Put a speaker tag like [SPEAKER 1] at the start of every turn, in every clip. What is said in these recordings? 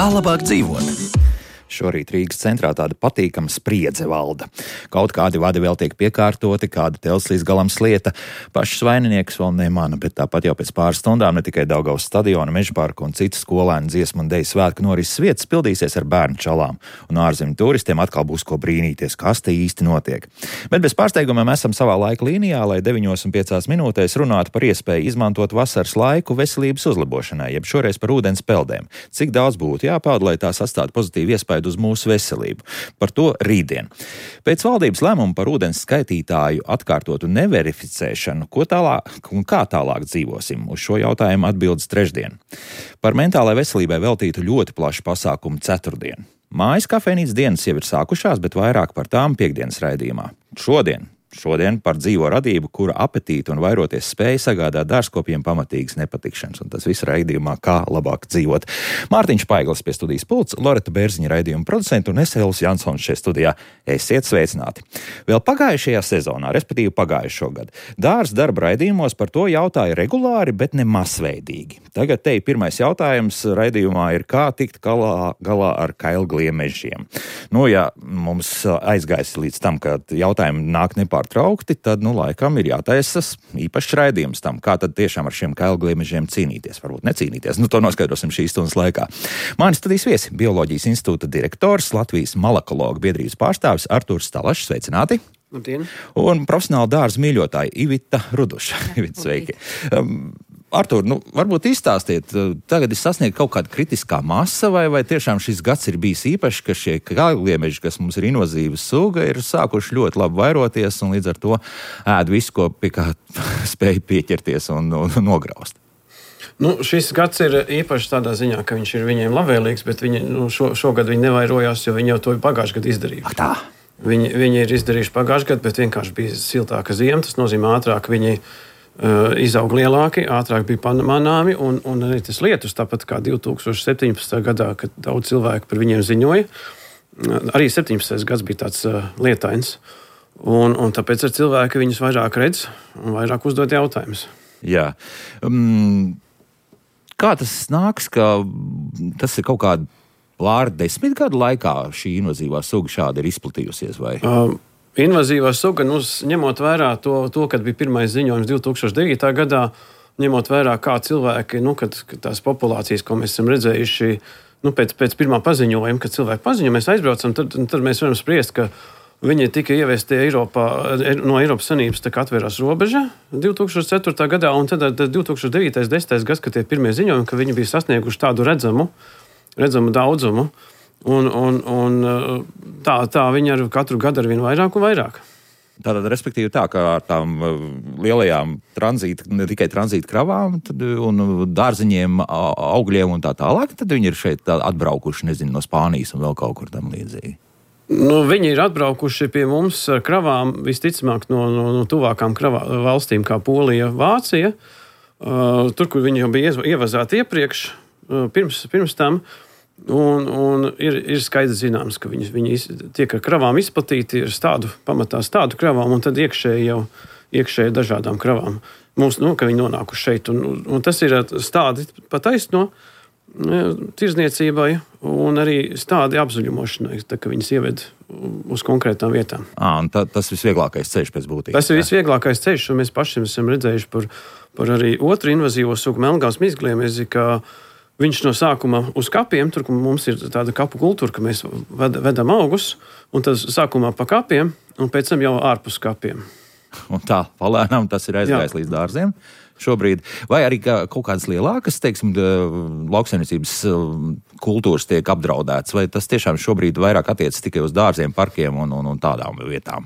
[SPEAKER 1] Kā labāk dzīvot?
[SPEAKER 2] Šorīt Rīgas centrā tāda patīkama spriedze valda. Kaut kādi vadi vēl tiek piekārtoti, kāda tels līdz galam slieta. Pašs vaininieks vēl nemana, bet tāpat jau pēc pāris stundām ne tikai Daugavas stadiona, Mežaparka un citas skolēnu dziesmu un deju svētku norises vietas pildīsies ar bērnu čalām. Un ārzemju turistiem atkal būs ko brīnīties, kas te īsti notiek. Bet bez pārsteigumiem esam savā laika līnijā, lai 9,5 minūtēs runātu par iespēju izmantot vasaras laiku veselības uzlabošanai, jeb šoreiz par ūdens peldēm. Cik daudz būtu jāpeld, lai tās atstātu pozitīvu iespēju uz mūsu veselību. Par to rītdien. Pēc valdības lēmuma par ūdens skaitītāju atkārtotu neverificēšanu, ko tālāk un kā tālāk dzīvosim, uz šo jautājumu atbildes trešdien. Par mentālai veselībai veltītu ļoti plašu pasākumu ceturtdien. Mājas kafejnīcas dienas jau ir sākušās, bet vairāk par tām piektdienas raidījumā. Šodien par dzīvo radību, kura apetīti un vairoties spēja sagādāt dārzkopiem pamatīgas nepatikšanas, un tas viss raidījumā Kā labāk dzīvot. Mārtiņš Paiglis pie studijas pults, Loreta Bērziņa raidījuma producenta un es Elvis Jansons šeit studijā. Esiet sveicināti! Vēl pagājušajā sezonā, respektīvi pagājušo gadu, dārza darba raidījumos par to jautāja regulāri, bet ne masveidīgi. Tagad te pirmais jautājums raidījumā ir, kā tikt galā ar kailgliem mežiem. Ja mums aizgājis līdz tam, ka jautājumi nāk nepārtraukti, tad, laikam ir jātaisas īpašs raidījums tam, kā tad tiešām ar šiem kailgliem mežiem cīnīties, varbūt necīnīties. To noskaidrosim šīs stundas laikā. Mani studijas viesi, Bioloģijas institūta direktors, Latvijas malakologu biedrības pārstāvis Artūrs Stalašs, sveicināti!
[SPEAKER 3] Labdien!
[SPEAKER 2] Un profesionāla dārza mīļotāja Ivita Ruduša. Ivita, sveiki! Artūr, varbūt izstāstiet, tagad ir sasniegta kaut kāda kritiskā masa, vai tiešām šis gads ir bijis īpašs, ka šie kailgliemeži, kas mums ir invazīva suga, ir sākuši ļoti labi vairoties un līdz ar to ēd visu, ko pie kā spēj pieķerties un nograust.
[SPEAKER 3] Šis gads ir īpašs tādā ziņā, ka viņš ir viņiem labvēlīgs, bet viņi, šogad viņi nevairojās, jo viņi jau to pagājušajā gadā izdarījuši.
[SPEAKER 2] Tā.
[SPEAKER 3] Viņi ir izdarījuši pagājušajā gadā, bet vienkārši bija siltāka ziema. Tas nozīmē, ātrāk viņi izaug lielāki, ātrāk bija manāmi, un arī tas lietus, tāpat kā 2017. gadā, kad daudz cilvēku par viņiem ziņoja. Arī 17. gads bija tāds lietains, un tāpēc ar cilvēki viņus vairāk redz un vairāk uzdod jautājumus.
[SPEAKER 2] Jā. Kā tas nāks, ka tas ir kaut kāda pār 10 gadu laikā šī invazīvā suga šādi ir izplatījusies, vai?
[SPEAKER 3] Invazīvā suga, ņemot vērā to, kad bija pirmais ziņojums 2009. gadā, ņemot vērā, kā cilvēki, kad tās populācijas, ko mēs esam redzējuši, pēc pirmā paziņojuma, kad cilvēki paziņo, mēs aizbraucam, tad mēs varam spriest, ka viņi tika ievesti Eiropā, no Eiropas Savienības atvērās robeža 2004. gadā, un tad 2009. 10. gads, kad tie pirmie ziņojumi, ka viņi bija sasnieguši tādu redzamu daudzumu, un tā viņi ar katru gadu ar vien vairāk un vairāk.
[SPEAKER 2] Tātad, respektīvi tā, ka ar tām lielajām ne tikai tranzīta kravām un dārziņiem, augļiem un tā tālāk, tad viņi ir šeit atbraukuši, no Spānijas un vēl kaut kur tam līdzīgi.
[SPEAKER 3] Viņi ir atbraukuši pie mums ar kravām, visticamāk, no tuvākām valstīm kā Polija, Vācija, tur, kur viņi jau bija ievazāti iepriekš, pirms tam, un ir skaidrs zināms, ka viņi tiek ar kravām izplatīti, ir pamatā stādu kravām, un tad iekšēji dažādām kravām. Mums, ka viņi nonākuši šeit, un tas ir stādi pataisno tirzniecībai un arī stādi apzaļumošanai, ka viņas ieved uz konkrētām vietām.
[SPEAKER 2] Tas visvieglākais ceļš pēc būtības.
[SPEAKER 3] Tas ir visvieglākais ceļš, un mēs pašiem esam redzējuši par arī otru invazīvo sugu melngāles mizgliemezi, ka viņš no sākuma uz kapiem, tur, kur mums ir tāda kapu kultūra, ka mēs vedam augus, un tad sākumā pa kapiem, un pēc tam jau ārpus kapiem.
[SPEAKER 2] Un tā, palēnām tas ir aizgājis līdz dārziem šobrīd. Vai arī kaut kādas lielākas, lauksaimniecības kultūras tiek apdraudētas, vai tas tiešām šobrīd vairāk attiecas tikai uz dārziem, parkiem un tādām vietām?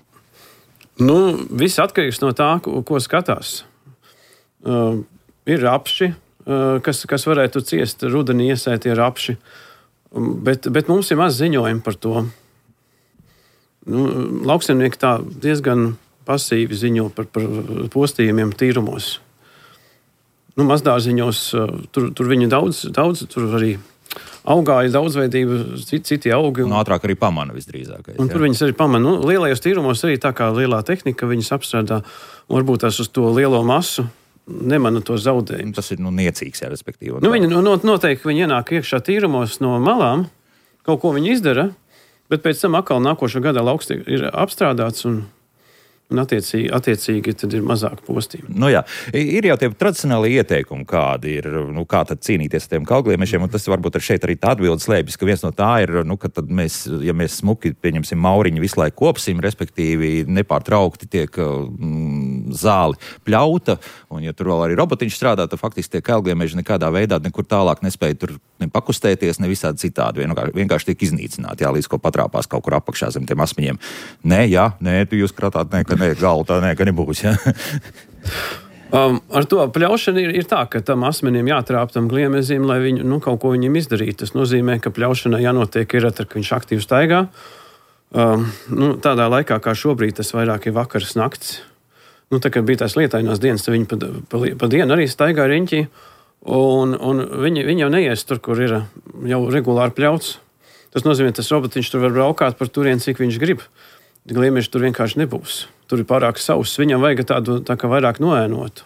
[SPEAKER 3] Viss atkarīgs no tā, ko skatās. Ir rapši, kas varētu ciest rudenī iesētie rapši, bet mums ir maz ziņojumi par to. Lauksaimnieki tā diezgan pasīvi ziņo par postījumiem tīrumos. Mazdārziņos tur viņi daudz, tur arī augāja daudzveidība, citi augi.
[SPEAKER 2] Un ātrāk arī pamana visdrīzākais.
[SPEAKER 3] Un tur viņas arī pamana. Lielajos tīrumos arī tā kā lielā tehnika viņas apstrādā, un varbūt tās uz to lielo masu nemana to zaudējumu.
[SPEAKER 2] Tas ir niecīgs, jā, respektīvi.
[SPEAKER 3] Viņi noteikti viņi ienāk iekšā tīrumos no malām, kaut ko viņi izdara, bet pēc tam atkal nākošā gadā lauks ir apstrādāts un attiecīgi tad ir mazāk postījumi.
[SPEAKER 2] Jā, ir jau tie tradicionāli ieteikumi, kādi ir, kā tad cīnīties ar tiem kalgliemešiem, un tas varbūt šeit arī tā atbildes slēpjas, ka viens no tā ir, ka tad mēs smuki, pieņemsim, mauriņu visu laiku kopsim, respektīvi nepārtraukti tiek zāli pļauta, un ja tur vēl arī robotiņš strādā, tad faktiski tie kalgliemeži nekādā veidā nekur tālāk nespēja tur ne pakustēties, ne visādi citādi, vienkārši tiek iznīcināti, līdz ko patrāpās kaut kur apakšā zem tiem asmeņiem. Nē, tu jūs kratāt, galva tā nebūs. Ja?
[SPEAKER 3] Ar to pļaušanu ir tā, ka tam asmenim jātrāp tam gliemezim, lai viņu kaut ko viņam izdarītu. Tas nozīmē, ka pļaušanai jānotiek ir tad, ka viņš aktīvi staigā. Tādā laikā, kā šobrīd, tas vairāk ir vakars nakts. Tā kā bija tās lietainās dienas, tad viņi pa dienu arī staigā riņķī. Un viņi jau neies tur, kur ir jau regulāri pļauts. Tas nozīmē, tas robotiņš tur var braukāt par turien, cik viņš grib. Gliemeži tur vienkārši nebūs. Tur ir pārāk sauss. Viņam vajag tādu tā kā vairāk noēnotu.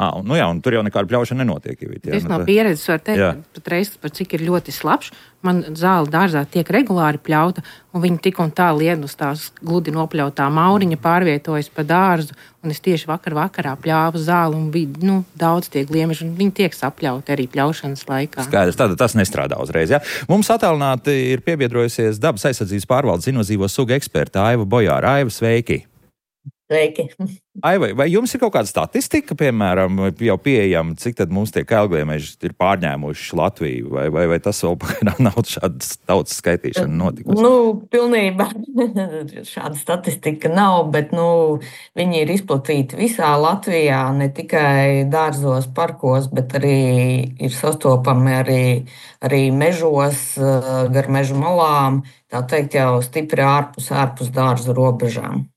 [SPEAKER 2] Un tur jau nekāda pļaušana nenotiek.
[SPEAKER 1] Es no pieredzes varu teikt, patreiz, par cik ir ļoti slapš. Man zāle dārzā tiek regulāri pļauta, un viņi tik un tā lien uz tās gludi nopļautā mauriņa pārvietojas pa dārzu, un es tieši vakarā pļāvu zāli, un bija daudz tie gliemeži, un viņi tiek sapļauti arī pļaušanas laikā.
[SPEAKER 2] Skaidrs, tātad tas nestrādā uzreiz, ja? Mums attālināti ir piebiedrojusies dabas aizsardzības pārvaldes invazīvo sugu eksperta Aiva Bojāra. Aiva, sveiki!
[SPEAKER 4] Sveiki!
[SPEAKER 2] Aiva, vai jums ir kaut kāda statistika, piemēram, jau pieejama, cik tad mums tie kalgliemeži ir pārņēmuši Latviju, vai tas vēl pagaidām nav šāda tautas skaitīšana notikusi?
[SPEAKER 4] Pilnībā šāda statistika nav, bet viņi ir izplatīti visā Latvijā, ne tikai dārzos, parkos, bet arī ir sastopami arī mežos, gar mežu malām, tā teikt jau stipri ārpus dārzu robežām.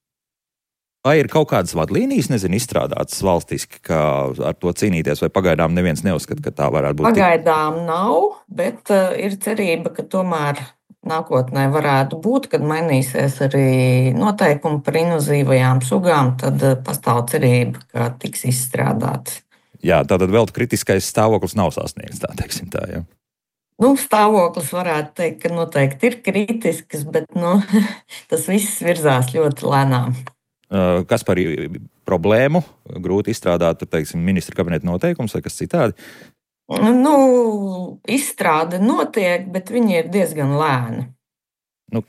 [SPEAKER 2] Vai ir kaut kādas vadlīnijas, izstrādātas valstiski, kā ar to cīnīties, vai pagaidām neviens neuzskata, ka tā varētu būt?
[SPEAKER 4] Pagaidām nav, bet ir cerība, ka tomēr nākotnē varētu būt, kad mainīsies arī noteikumi par invazīvajām sugām, tad pastāv cerība, ka tiks izstrādāts.
[SPEAKER 2] Jā, tātad vēl kritiskais stāvoklis nav sasniegts, tā teiksim tā, jā.
[SPEAKER 4] Stāvoklis varētu teikt, ka noteikti ir kritisks, bet tas viss virzās ļoti lēnām.
[SPEAKER 2] Kas par problēmu? Grūti izstrādāt, teiksim, ministra kabineta noteikums vai kas citādi?
[SPEAKER 4] Izstrāde notiek, bet viņi ir diezgan lēni.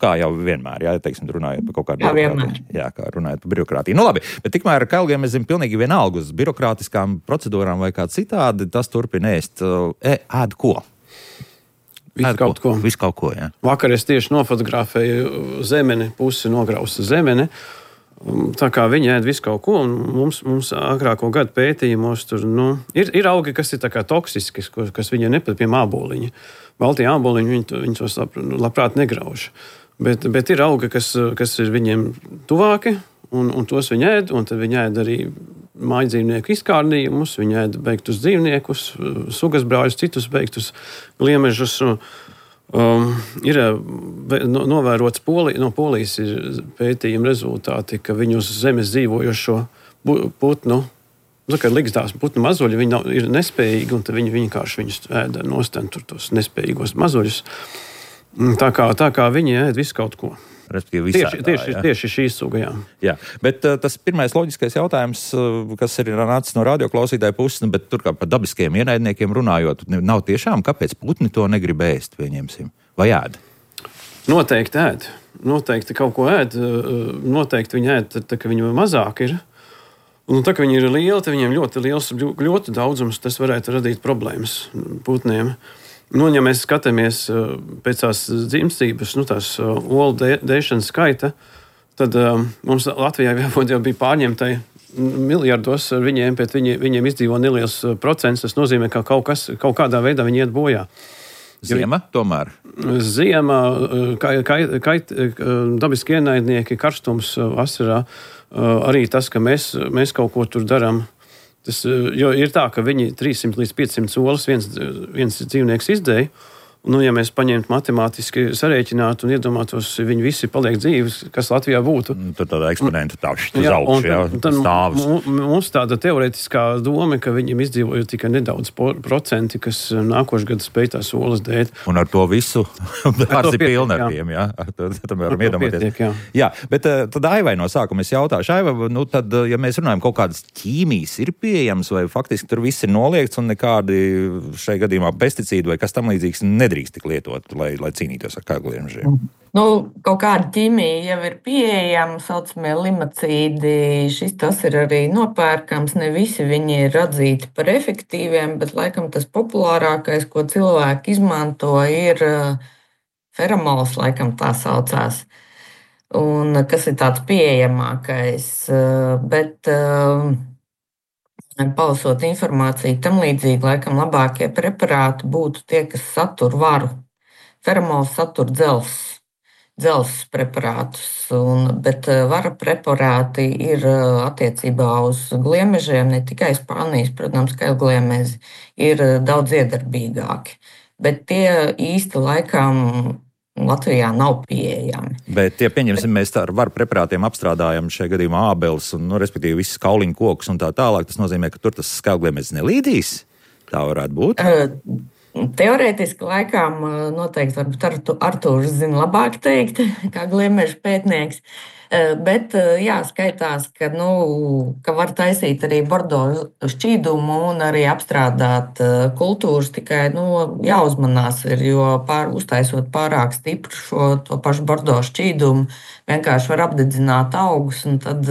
[SPEAKER 2] Kā jau vienmēr, teiksim, runājot par kaut kādu birokrātiju. Jā, kā runājot par birokrātiju. Labi, bet tikmēr kalgiem mēs zinām pilnīgi vienalga uz birokrātiskām procedūrām vai kā citādi, tas turpina ēst. Ēd ko? Visu kaut ko, jā.
[SPEAKER 3] Vakar es tieši nofotografēju zemeni, pusi nograusta zemene. Tā kā viņi ēd visu kaut ko, un mums agrāko gadu pētījumos tur, ir augi, kas ir tā kā toksiski, kas viņiem nepatīk, piemēram, āboliņi. Baltie āboliņi, viņi tos labprāt negrauž. Bet ir augi, kas ir viņiem tuvāki, un tos viņi ēd, un tad viņi ēd arī mājdzīvnieku izkārnījumus, viņi ēd beigtus dzīvniekus, sugas brāļus, citus beigtus gliemežus. Ir novērots no Polijas ir pētījuma rezultāti, ka viņu uz zemes dzīvojošo putnu, kad ligzdās putnu mazuļi, viņi ir nespējīgi, un tad viņi vienkārši viņus ēda nostan tur tos nespējīgos mazuļus. Tā kā viņi ēd visu kaut ko. Tieši šīs suga,
[SPEAKER 2] jā. Bet tas pirmais loģiskais jautājums, kas ir nācis no radioklausītāja puses, bet tur kā par dabiskiem ienaidniekiem runājot, nav tiešām, kāpēc putni to negrib ēst, pieņemsim, vai ēd?
[SPEAKER 3] Noteikti ēd. Noteikti kaut ko ēd. Noteikti viņi ēd, tā ka viņi mazāk ir. Un tā kā viņi ir lieli, tad viņiem ļoti liels ļoti daudzums, tas varētu radīt problēmas putniem. Ja mēs skatāmies pēc tās dzimstības, tās olu dēšanas skaita, tad mums Latvijā jau bija pārņemtai miljardos ar viņiem, bet viņiem izdzīvo neliels procents. Tas nozīmē, ka kaut kādā veidā viņi iet bojā.
[SPEAKER 2] Ziema tomēr?
[SPEAKER 3] Ziema, dabiski ienaidnieki, karstums vasarā, arī tas, ka mēs kaut ko tur darām. Jo ir tā, ka viņi 300 līdz 500 olas viens dzīvnieks izdēja, Nu, ja mēs paņemtu matemātiski sarēķinātu un iedomātos, viņi visi paliek dzīves, kas Latvijā būtu.
[SPEAKER 2] Tad tāda eksponenta tāpši uz augšu, stāvus.
[SPEAKER 3] Mums tāda teorētiskā doma, ka viņiem izdzīvoja tikai nedaudz procenti, kas nākošu gadu spēj tās olas dēt.
[SPEAKER 2] Un ar to visu pārsi pilni ar tiem, jā. Tad varam iedomāties. Jā, bet tad Aivai no sākuma es jautāšu, Aiva, nu tad, ja mēs runājam, kaut kādas ķīmijas ir pieejamas vai faktiski tur viss ir noliegts un nekādi šai gadījumā pesticīdi vai kas tam līdzīgs nedrīkst tik lietot, lai cīnītos ar kagliemežiem?
[SPEAKER 4] Nu, kaut kāda ķīmija jau ir pieejama, saucamie limacīdi. Tas ir arī nopērkams. Ne visi viņi ir atzīti par efektīviem, bet laikam tas populārākais, ko cilvēki izmanto, ir feromols, laikam tā saucās. Un kas ir tāds pieejamākais. Bet palasot informāciju tam līdzīgi, laikam labākie preparāti būtu tie, kas satur varu. Feromols satur dzelzs preparātus, bet vara preparāti ir attiecībā uz gliemežiem, ne tikai Spānijas, protams, ka gliemeži ir daudz iedarbīgāki. Bet tie īsti laikam Latvijā nav pieejami.
[SPEAKER 2] Bet, ja pieņemsim, mēs ar varu preparātiem apstrādājam šajā gadījumā ābeles un, respektīvi, visas kauliņu kokus un tā tālāk, tas nozīmē, ka tur tas skāgliemežs nelīdīs? Tā varētu būt?
[SPEAKER 4] Teorētiski laikam noteikti varbūt Artūrs zina labāk teikt, kā gliemeža pētnieks. Bet skaitās, ka var taisīt arī bordo šķīdumu un arī apstrādāt kultūras, tikai jāuzmanās ir, jo uztaisot pārāk stipru to pašu bordo šķīdumu, vienkārši var apdedzināt augus un tad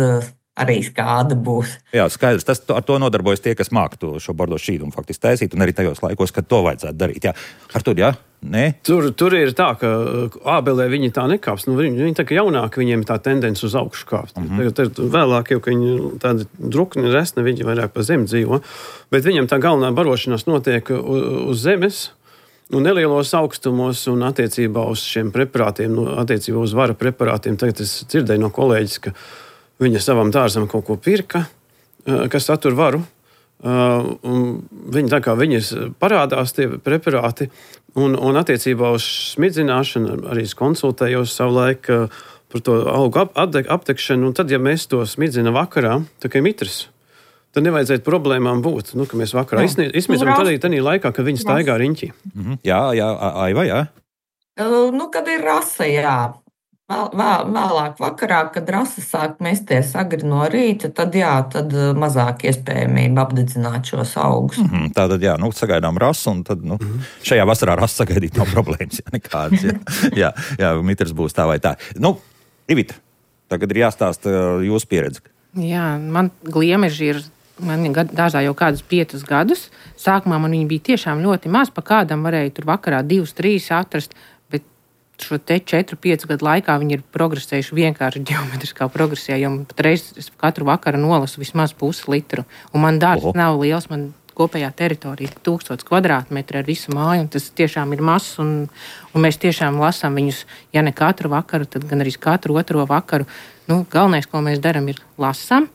[SPEAKER 4] arī skāda būs. Jā,
[SPEAKER 2] skaidrs. Ar to nodarbojas tie, kas māk šo bordo šķīdumu faktiski taisīt, un arī tajos laikos, kad to vajadzētu darīt. Jā. Artur, jā? Nē?
[SPEAKER 3] Tur ir tā, ka ābelē viņi tā nekāps. Viņi tā kā jaunāki, viņiem tā tendence uz augšu kāpt. Tad vēlāk, jau, ka viņi tādi drukni resni, viņi vairāk pa zemi dzīvo. Bet viņam tā galvenā barošanās notiek uz zemes, un nelielos augstumos un attiecībā uz šiem preparātiem, attiecībā uz vara preparātiem. Tagad es dzirdēju no kolēģis, ka viņa savam dārzam kaut ko pirka, kas satur varu. Viņi tā kā viņas parādās tie preparāti, un attiecībā uz smidzināšanu arī es konsultējos savulaik par to augu aptekšanu, un tad, ja mēs to smidzinām vakarā, tā kā mitrs, tad nevajadzētu problēmām būt, ka mēs vakarā izsmidzam, tad arī tādā laikā, kad viņi staigā riņķī.
[SPEAKER 2] Jā, Aiva, jā.
[SPEAKER 4] Kad ir rasa, jā. Vēlāk vakarā, kad rasa sāk mesties agri no rīta, tad mazāk iespējamība apdedzināt šos augus.
[SPEAKER 2] Tātad, sagaidām rasu, un tad, šajā vasarā rasu sagaidīt nav problēmas, nekādas. Jā, mitrs būs tā vai tā. Ivita, tagad ir jāstāsta jūsu pieredze.
[SPEAKER 1] Jā, man gliemeži ir. Man dārzā jau kādus 5 gadus. Sākumā man viņi bija tiešām ļoti maz, pa kādam varēja tur vakarā 2, 3 atrast. Šo te 4-5 gadu laikā viņi ir progresējuši vienkārši ģeometriskā progresijā, jo patreiz es katru vakaru nolasu vismaz pusi litru. Un man dārzs nav liels, man kopējā teritorija ir 1000 kvadrātmetri ar visu māju, un tas tiešām ir mazs, un mēs tiešām lasām viņus, ja ne katru vakaru, tad gan arī katru otro vakaru. Galvenais, ko mēs darām, ir lasām,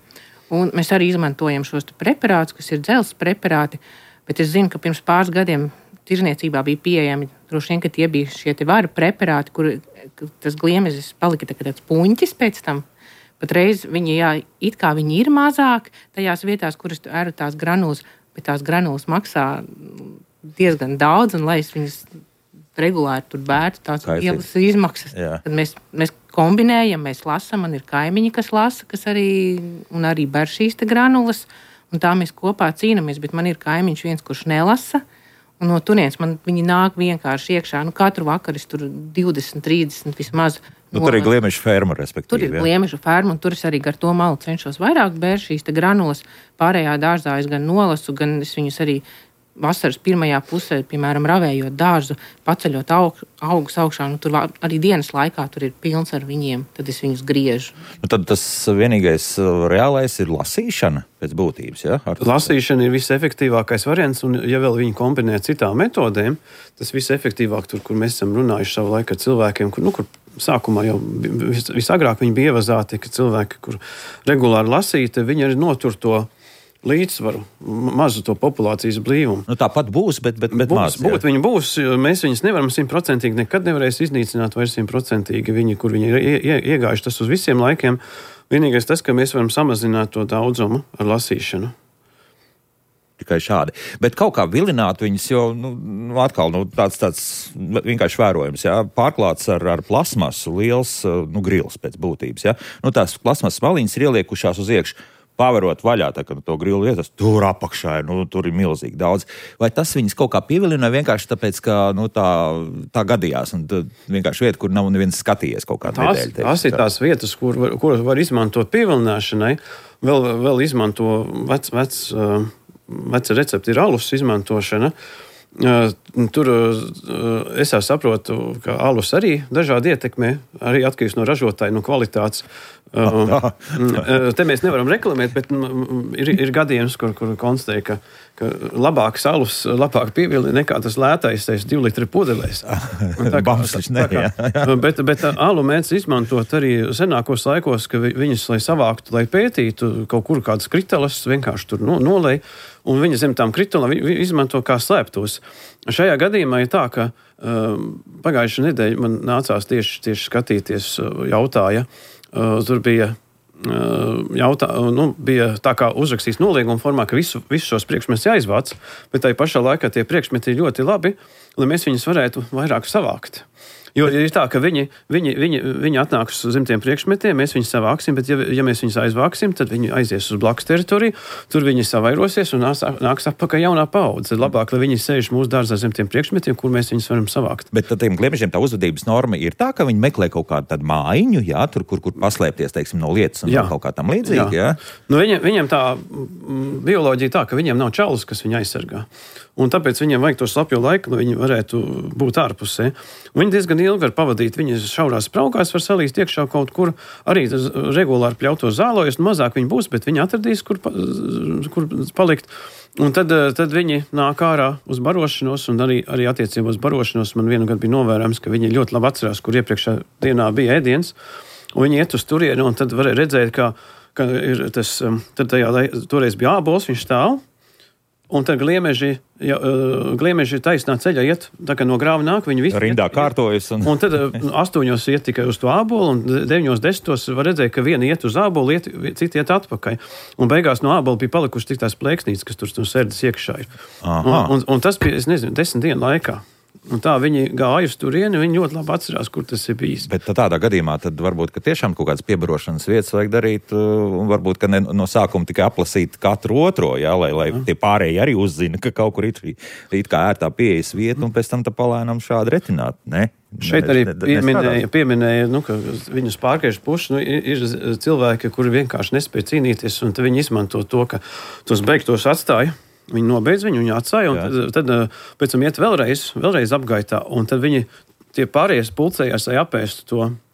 [SPEAKER 1] un mēs arī izmantojam šos preparātus, kas ir dzelzs preparāti, bet es zinu, ka pirms pāris gadiem tirzniecībā bija pieejami, droši vien, ka tie bija šie te varu preparāti, kur tas gliemežs palika tāds puņķis pēc tam. Patreiz viņi, it kā viņi ir mazāk tajās vietās, kuras ēru tās granulas, bet tās granulas maksā diezgan daudz, un lai es viņas regulāri tur bērtu, tās lielas izmaksas. Tad mēs kombinējam, mēs lasam, man ir kaimiņi, kas lasa, kas arī ber šīs te granulas, un tā mēs kopā cīnamies, bet man ir kaimiņš viens, kurš nelasa. Un no turienes viņi nāk vienkārši iekšā. Katru vakaru es tur 20, 30 vismaz.
[SPEAKER 2] Tur ir gliemeža ferma, respektīvi.
[SPEAKER 1] Tur ir gliemeža ferma, un tur es arī gar to malu cenšos vairāk bērt šīs te granulas. Pārējā dārzā es gan nolasu, gan es viņus arī vasaras pirmajā pusē, piemēram, ravējot dārzu, paceļot augus augšā. Tur arī dienas laikā tur ir pilns ar viņiem, tad es viņus griežu.
[SPEAKER 2] Tad tas vienīgais reālais ir lasīšana pēc būtības, ja?
[SPEAKER 3] Lasīšana ir visefektīvākais variants, un ja vēl viņi kombinē citām metodēm, tas visefektīvāk tur, kur mēs esam runājuši savu laiku ar cilvēkiem, kur sākumā jau visagrāk viņi bija ievazāti, ka cilvēki, kur regulāri lasīti, viņi arī notur to līdzsvaru, mazu to populācijas blīvumu.
[SPEAKER 2] Nu, tāpat būs, bet maz.
[SPEAKER 3] Viņi būs, mēs viņus nevaram 100% nekad nevarēs iznīcināt vai 100%. Viņi, kur viņi ir iegājuši, tas uz visiem laikiem. Vienīgais tas, ka mēs varam samazināt to daudzumu ar lasīšanu.
[SPEAKER 2] Tikai šādi. Bet kaut kā vilināt viņus, jo atkal tāds vienkārši vērojams, jā, pārklāts ar plasmasu liels grils pēc būtības. Jā. Tās plasmasas maliņas ir ieliekušās uz iekšu. Pavarot vaļā, tā, kad to grilu vietas, tur apakšā ir, tur ir milzīgi daudz. Vai tas viņas kaut kā pievilina vienkārši tāpēc, ka tā gadījās un vienkārši vieta, kur nav neviens skatījies kaut kā nedēļa?
[SPEAKER 3] Tās ir tās vietas, kur var izmantot pievilināšanai, vēl izmanto veci recepti ir alus izmantošana. Tur es jau saprotu, ka alus arī dažādi ietekmē, arī atkarīgs no ražotāja, no kvalitātes. Te mēs nevaram reklamēt, bet ir gadījums, kur konstatēja, ka labāks alus, labāk pievilina nekā tas lētais 2 litri pudelēs. Bet alu mēdz izmantot arī senākos laikos, ka viņas, lai savāktu, lai pētītu kaut kur kādas kritelas, vienkārši tur nolej, un viņa zem tām kritelām izmanto kā slēptos. Šajā gadījumā ir tā, ka pagājušā nedēļa man nācās tieši skatīties, jautāja. Tur bija bija tā kā uzrakstīts nolieguma formā, ka visu šos priekšmetus jāizvāc, bet tai pašā laikā tie priekšmeti ir ļoti labi, lai mēs viņus varētu vairāk savākt. Jo ir tā, ka viņi atnāks zem tiem priekšmetiem, mēs viņus savāksim, bet ja mēs viņus aizvāksim, tad viņi aizies uz blakus teritoriju, tur viņi savairosies un nāks atpakaļ jaunā paudze. Tad labāk, lai viņi sēž mūsu dārzā zem tiem priekšmetiem, kur mēs viņus varam savākt. Bet
[SPEAKER 2] tad tiem gliemežiem tā uzvedības norma ir tā, ka viņi meklē kaut kādu tādu mājiņu, jā, tur, kur paslēpties, teiksim, no lietas un kaut kā tam līdzīgi, jā.
[SPEAKER 3] Viņiem tā bioloģija tā, ka viņiem nav čalis, kas viņu aizsargā. Un tāpēc viņiem vajag to slapjo laiku, lai viņi varētu būt ārpusē. Viņi diezgan ilgi var pavadīt, viņi šaurās spraugās var salīst iekšā kaut kur, arī regulāri pļauto zālojas, mazāk viņi būs, bet viņi atradīs, kur palikt. Un tad viņi nāk ārā uz barošanos, un arī attiecībā uz barošanos man vienu gadu bija novērojams, ka viņi ļoti labi atcerās, kur iepriekšā dienā bija ēdiens, un viņi iet uz turieni, un tad varēja redzēt, ka ir tas, tad toreiz bija ābols, viņš stāv, un tad gliemeži taisnā ceļā iet, tā kā no grāva nāk, viņi visi
[SPEAKER 2] rindā kārtojas. Un
[SPEAKER 3] tad 8 iet tikai uz to ābolu, un 9, 10 var redzēt, ka viena iet uz ābolu, citi iet atpakaļ. Un beigās no ābola bija palikuši tik tās plēksnītes, kas tur sērdas iekšā ir. Un tas bija, es nezinu, 10 dienu laikā. Un tā viņi gāja uz turieni, viņi ļoti labi atcerās, kur tas ir bijis.
[SPEAKER 2] Bet tādā gadījumā tad varbūt, ka tiešām kaut kādas piebarošanas vietas vajag darīt, un varbūt, ka no sākuma tikai aplasīt katru otro, jā, lai tie pārējie arī uzzina, ka kaut kur ir kā ērtā pieejas vieta, un pēc tam tā palēnām šādi retināt, ne?
[SPEAKER 3] Šeit arī pieminēja, ka viņus pārkaišu puši, ir cilvēki, kuri vienkārši nespēja cīnīties, un viņi izmanto to, ka tos beigtos atstāja. Viņi nobeidz viņu atstāja, un tad pēc tam iet vēlreiz apgaitā, un tad viņi tie pārējais pulcējās, lai apēstu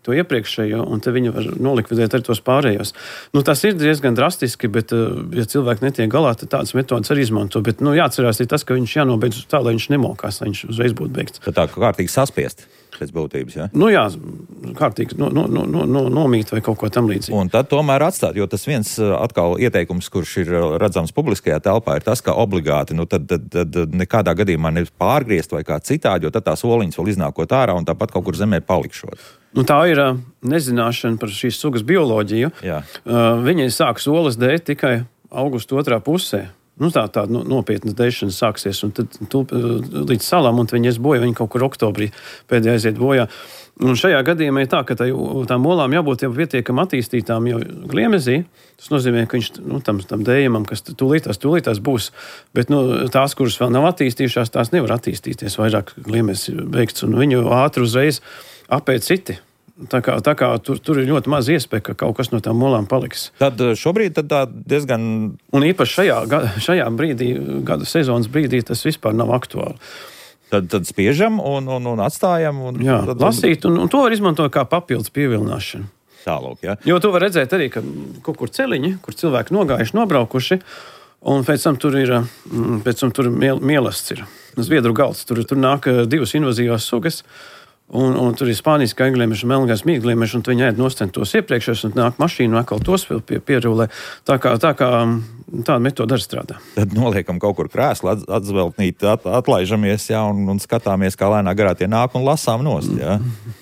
[SPEAKER 3] to iepriekšējo, un tad viņi var nolikvidēt arī tos pārējos. Tas ir diezgan drastiski, bet, ja cilvēki netiek galā, tad tādas metodas arī izmanto. Bet, jāatcerās ir tas, ka viņš jānobeidz tā, lai viņš nemokās, lai viņš uzreiz būtu beigts.
[SPEAKER 2] Tad tā kārtīgi saspiest pēc būtības, jā?
[SPEAKER 3] Jā, kārtīgi nomīt vai kaut ko tam līdzīgi.
[SPEAKER 2] Un tad tomēr atstāt, jo tas viens atkal ieteikums, kurš ir redzams publiskajā telpā, ir tas, ka obligāti, tad nekādā gadījumā nevis pārgriezt vai kā citādi, jo tad tās oliņas vēl iznākot ārā un tāpat kaut kur zemē palikšot.
[SPEAKER 3] Tā ir nezināšana par šīs sugas bioloģiju. Viņi sāks olas dēt tikai augusta 2. pusē. Tā nopietna dēšana sāksies, un tad līdz salām, un viņi ies bojā, viņi kaut kur oktobrī pēdējā aiziet bojā. Un šajā gadījumā ir tā, ka tām olām jābūt jau pietiekami attīstītām jau gliemezī. Tas nozīmē, ka viņš tam dējumam, kas tūlītās būs, bet tās, kuras vēl nav attīstījušās, tās nevar attīstīties, vairāk gliemezs ir beigts, un viņu ātri uzreiz apēt citi. Tā kā tur ir ļoti maz iespēja, ka kaut kas no tām olām paliks.
[SPEAKER 2] Tad šobrīd tā diezgan...
[SPEAKER 3] Un īpaši šajā brīdī, gada sezonas brīdī, tas vispār nav aktuāli.
[SPEAKER 2] Tad spiežam un atstājam.
[SPEAKER 3] Lasīt, un to var izmantot kā papildus pievilināšanu.
[SPEAKER 2] Tālūk, jā.
[SPEAKER 3] Jo to var redzēt arī, ka kaut kur celiņi, kur cilvēki nogājuši, nobraukuši, un pēc tam tur ir mielasts ir. Zviedru galds, tur nāk 2 invazīvās sugas, Un tur ir spānijas gaigliemeši, melngais mīgliemeši, un viņi ēd nostent tos iepriekšējos, un nāk mašīnu, un atkal tos vēl pierulē. Tā kā tāda metode arī strādā.
[SPEAKER 2] Tad noliekam kaut kur krēslu, atzveltnīt, atlaižamies, jā, un skatāmies, kā lēnā garā tie nāk un lasām nost, jā.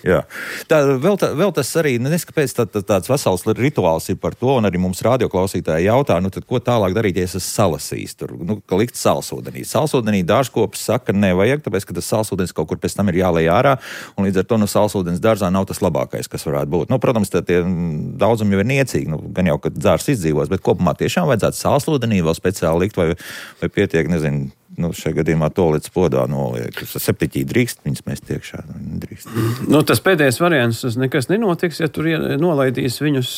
[SPEAKER 2] Jā. Vēl tas arī, neskapēc tāds vesels rituāls ir par to, un arī mums radioklausītāji jautā, tad ko tālāk darīt, ja es salasīs tur, ka likt salsūdenī. Salsūdenī dārzkopis saka, nevajag, tāpēc, ka tas salsūdens kaut kur pēc tam ir jālej ārā, un līdz ar to salsūdens dārzā nav tas labākais, kas varētu būt. Protams, tie daudzumi jau ir niecīgi, gan jau, ka dārs izdzīvos, bet kopumā tiešām vajadzētu salsūdenī vēl speciāli likt, vai pietiek, nezinu, šajā gadījumā to līdz podā noliek. 7 drīkst, viņas mēs tiekšā drīkst.
[SPEAKER 3] Tas pēdējais variants, tas nekas nenotiks, ja tur nolaidīs viņus,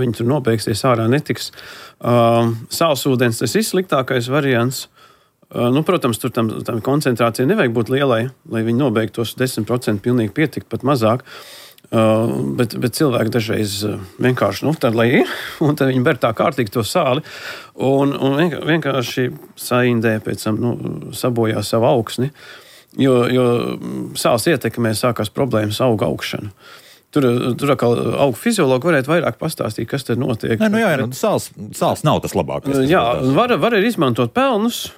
[SPEAKER 3] viņi tur nobeigsies ārā, netiks. Salsūdens, tas ir sliktākais variants. Protams, tur tam koncentrācija nevajag būt lielai, lai viņi nobeigtos 10% pilnīgi pietikt, pat mazāk. Bet cilvēki dažreiz vienkārši, tad lai ir, un tad viņi ber tā kārtīgi to sāli, un vienkārši saindē pēc tam, sabojā savu augsni, jo sāls ietekmē sākās problēmas auga augšanu. Tur atkal augu fiziologi varētu vairāk pastāstīt, kas tad notiek.
[SPEAKER 2] Sāls nav tas labākais.
[SPEAKER 3] Jā, var arī izmantot pelnus,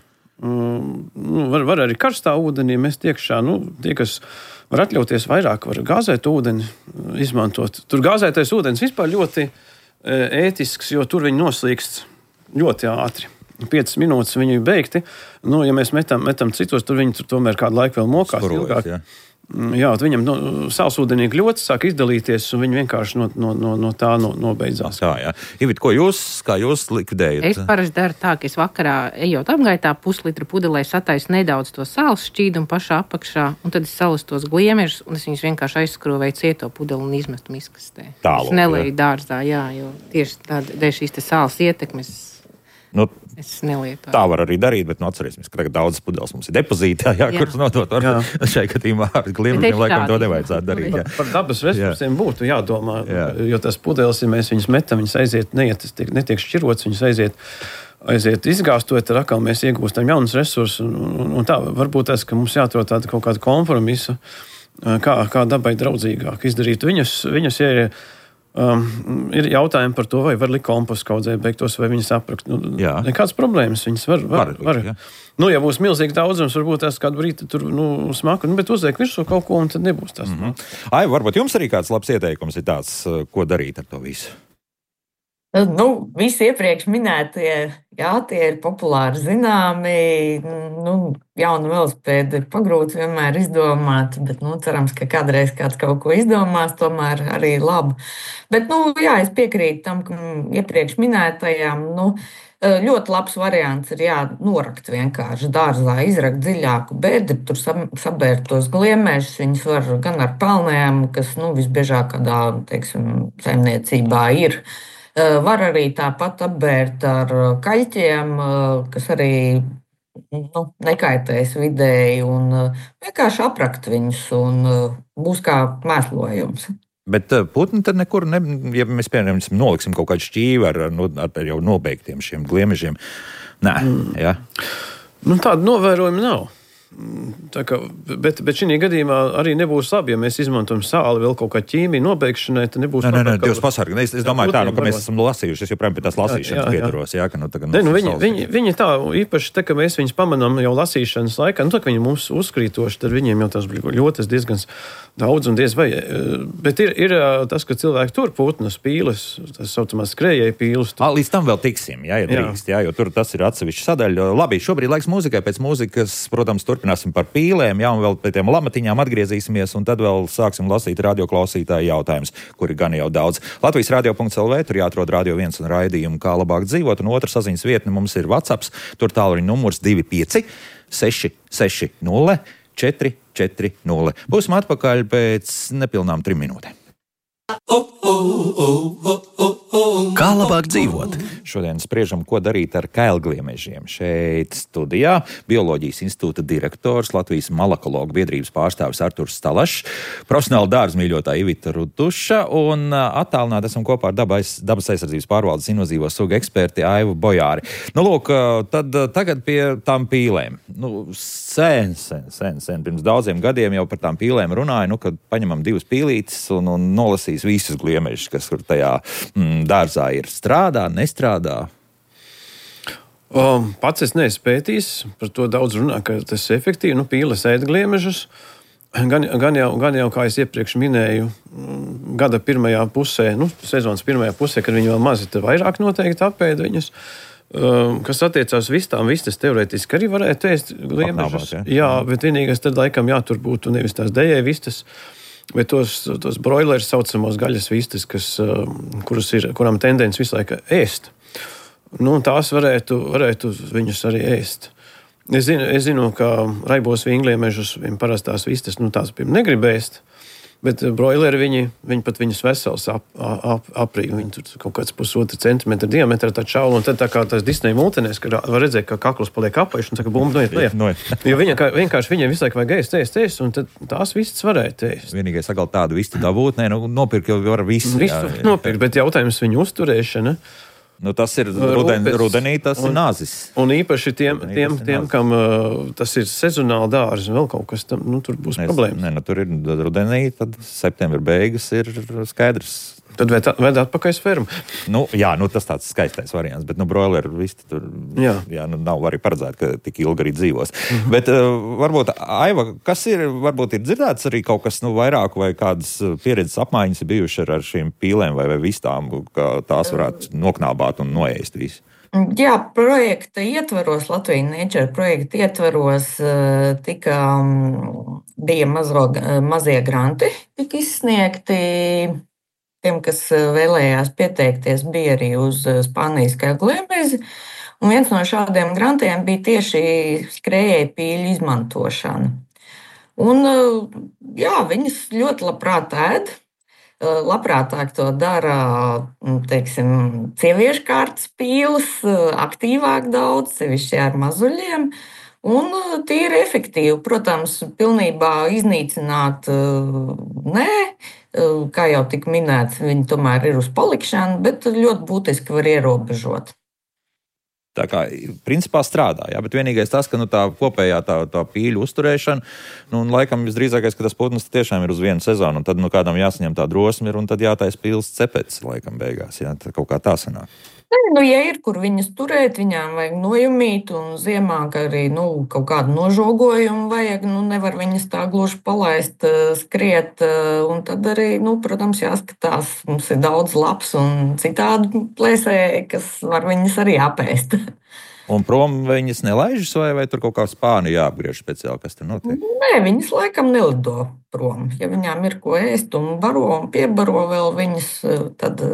[SPEAKER 3] var arī karstā ūdenī mest iekšā, tie, kas var atļauties vairāk, var gāzēt ūdeni izmantot. Tur gāzētais ūdens vispār ļoti ētisks, jo tur viņi noslīkst ļoti ātri. 5 minūtes viņi ir beigti. Ja mēs metam citos, tur viņi tomēr kādu laiku vēl mokās ilgāk. Jā, viņam salsūdenī ļoti sāk izdalīties, un viņi vienkārši no tā nobeidzās.
[SPEAKER 2] Tā, jā. Ivit, kā jūs likvidējat?
[SPEAKER 1] Es parasti daru tā, ka es vakarā ejot apgaitā puslitra pudelē sataisu nedaudz to sāls šķīdumu pašā apakšā, un tad es salasu tos gliemežus, un es viņus vienkārši aizskrovēju cieto pudeli un izmestu miskastē. Es nelēju dārzā, jā, jo tieši dēļ šīs te sāls ietekmes. Es nelietoju.
[SPEAKER 2] Tā var arī darīt, bet atcerēsimies, ka tagad daudzas pudeles mums ir depozītā, kuras nodot. Šai gadījumā ar gliemežiem laikam to nevajadzētu darīt.
[SPEAKER 3] Par dabas resursiem būtu jādomā, jo tas pudeles, ja mēs viņus metam, viņas aiziet, netiek šķirots, viņas aiziet izgāstot, tad atkal mēs iegūstam jaunus resursus. Un tā varbūt tas, ka mums jāatrod tāda kaut kāda kompromisa, kā dabai draudzīgāk izdarīt viņus, ja ir jautājumi par to, vai var likt kompostu kaudzē beigtos, vai viņas aprakt. Nekādas problēmas viņas var. Ja būs milzīgi daudzums, varbūt tās kādu brīdi tur smaku, bet uzliek virsū kaut ko, un tad nebūs tas.
[SPEAKER 2] Ai, varbūt jums arī kāds labs ieteikums ir tāds, ko darīt ar to visu?
[SPEAKER 4] Visi iepriekš minētie, tie ir populāri zināmi. Jauna velosipēda ir pagrūti vienmēr izdomāt, bet cerams, ka kādreiz kāds kaut ko izdomās, tomēr arī labu. Bet, es piekrītu tam, ka iepriekš minētajām, ļoti labs variants ir norakt vienkārši dārzā, izrakt dziļāku bedri, tur sabērt tos gliemežus, viņus var gan ar pelnēm, kas, visbiežāk kādā, saimniecībā ir. Var arī tāpat apbērt ar kaļķiem, kas arī nekaitēs vidēji, un vienkārši aprakt viņus, un būs kā mēslojums.
[SPEAKER 2] Bet putni tad nekur, ja mēs piemēram noliksim kaut kādu šķīvi ar jau nobeigtiem šiem gliemežiem, jā?
[SPEAKER 3] Tāda novērojuma nav. Bet šī gadījumā arī nebūs labi, ja mēs izmantojam sāli vēl kaut kā ķīmiju nobeigšanai, tad nebūs labi.
[SPEAKER 2] Dievs pasargi. Es domāju tā, ka mēs esam lasījuši, es joprojām pie tās lasīšanas pieturos.
[SPEAKER 3] Viņi tā, īpaši ka mēs viņus pamanām jau lasīšanas laikā, tā, ka viņi mums uzkrītoši, tad viņiem jau tas ļoti diezgan daudz un diez vai. Bet ir tas, ka cilvēki tur putnas pīles, tas saucamās skrējēja pīles.
[SPEAKER 2] Līdz tam vēl tiksim, ja drīkst, jo tur tas ir atsevišķa sadaļa. Labi, šobrīd laiks mūzikai, pēc mūzikas, protams, turpināsim par pīlēm, un vēl pie tiem lamatiņām atgriezīsimies, un tad vēl sāksim lasīt radioklausītāju jautājumus, kuri gan jau daudz. Latvijas radio.lv, tur jāatrod Radio 1 un raidījumu, kā labāk dzīvot, un otra saziņas vietne mums ir WhatsApps, tur tālruņa numurs 25 660 440. Būsim atpakaļ pēc nepilnām 3 minūtēm. Kā labāk dzīvot? Šodien spriežam, ko darīt ar kailgliemežiem. Šeit studijā Bioloģijas institūta direktors, Latvijas malakologu biedrības pārstāvis Arturs Stalašs, profesionāla dārzmīļotāja Ivita Rutuša un attālināti esam kopā ar dabas aizsardzības pārvaldes invazīvo sugu eksperti Aivu Bojāri. Nu, lūk, tad tagad pie tām pīlēm. Nu, sen, pirms daudziem gadiem jau par tām pīlēm runāju, kad paņemam 2 pīlītes un nolasīs visus gliemežus, kas tur tajā dārzā ir. Strādā, nestrādā?
[SPEAKER 3] Pats es neesmu pētījis, par to daudz runā, ka tas ir efektīvi. Nu, pīles ēd gliemežus. Gan jau, kā es iepriekš minēju, gada pirmajā pusē, sezonas pirmajā pusē, kad viņi vēl mazi, tad vairāk noteikti apēd viņus. Kas attiecās vistām, vistas teorētiski arī varētu ēst gliemežus. Jā, bet vienīgais tad laikam tur būtu nevis tās dejē vistas, bet tos broilerus saucamos gaļas vistas, kurām tendence visu laiku ēst. Tās varētu viņus arī ēst. Es zinu, ka raibos vingliemežus, parastās vistas, tās negrib ēst, bet broileri viņi pat viņus vesels aprīja. Viņi tur kaut kāds 1,5 centimetra diametra tā čaula, un tad tā kā tas Disneja multenēs, kad var redzēt, ka kakls paliek apaišs, un saka, bumba, noiet. Jo vienkārši viņiem visu laiku vajag ēst, un tad tās vistas varētu ēst.
[SPEAKER 2] Vienīgais atkal tādu vistu dabūt, nopirkt jau var visu.
[SPEAKER 3] Visu nopirkt, bet jautājums viņu uzturēšana.
[SPEAKER 2] Tas ir rudenī, tas ir nāzis.
[SPEAKER 3] Un īpaši tiem kam tas ir sezonāli dārzi, vēl kaut kas tam, tur būs problēmas.
[SPEAKER 2] Tur ir rudenī, tad septembra beigas ir skaidrs.
[SPEAKER 3] Tad ved atpakaļ fermu.
[SPEAKER 2] Tas tāds skaistais variants, bet broileri visti tur nav arī paredzēt, ka tik ilgi arī dzīvos. Bet varbūt, Aiva, kas varbūt ir dzirdēts arī kaut kas vairāk vai kādas pieredzes apmaiņas ir bijuši ar šīm pīlēm vai vistām, ka tās varētu noknābāt un noēst visu?
[SPEAKER 4] Jā, projekta ietvaros, Latvijas Nature projekta ietvaros bija mazie granti, tika izsniegti. Tiem, kas vēlējās pieteikties, bija arī uz Spānijas kailgliemezi. Un viens no šādiem grantiem bija tieši skrējēju pīļu izmantošana. Un, viņas ļoti labprāt ēd. Labprātāk to dara, sieviešu kārtas pīles, aktīvāk daudz, sevišķi ar mazuļiem. Un tīri efektīvi, protams, pilnībā iznīcināt nē. Kā jau tika minēts, viņi tomēr ir uz palikšanu, bet ļoti būtiski var ierobežot.
[SPEAKER 2] Tā kā principā strādā, bet vienīgais tas, ka tā kopējā tā pīļu uzturēšana, laikam visdrīzākais, ka tas putns tiešām ir uz vienu sezonu, un tad kādam jāsaņem tā drosme ir, un tad jātais pīles cepets, laikam beigās, tad kaut kā tā sanāk.
[SPEAKER 4] Ja ir, kur viņas turēt, viņām vajag nojumīt, un ziemā, ka arī kaut kādu nožogojumu vajag, nevar viņas tā gluži palaist, skriet, un tad arī, protams, jāskatās, mums ir daudz labs un citādi plēsēji, kas var viņas arī apēst.
[SPEAKER 2] Un prom viņas nelaižas, vai tur kaut kā spāni jāapgriež speciāli, kas tur notiek?
[SPEAKER 4] Nē, viņas laikam nelido prom. Ja viņām ir ko ēst un baro un piebaro vēl viņas, tad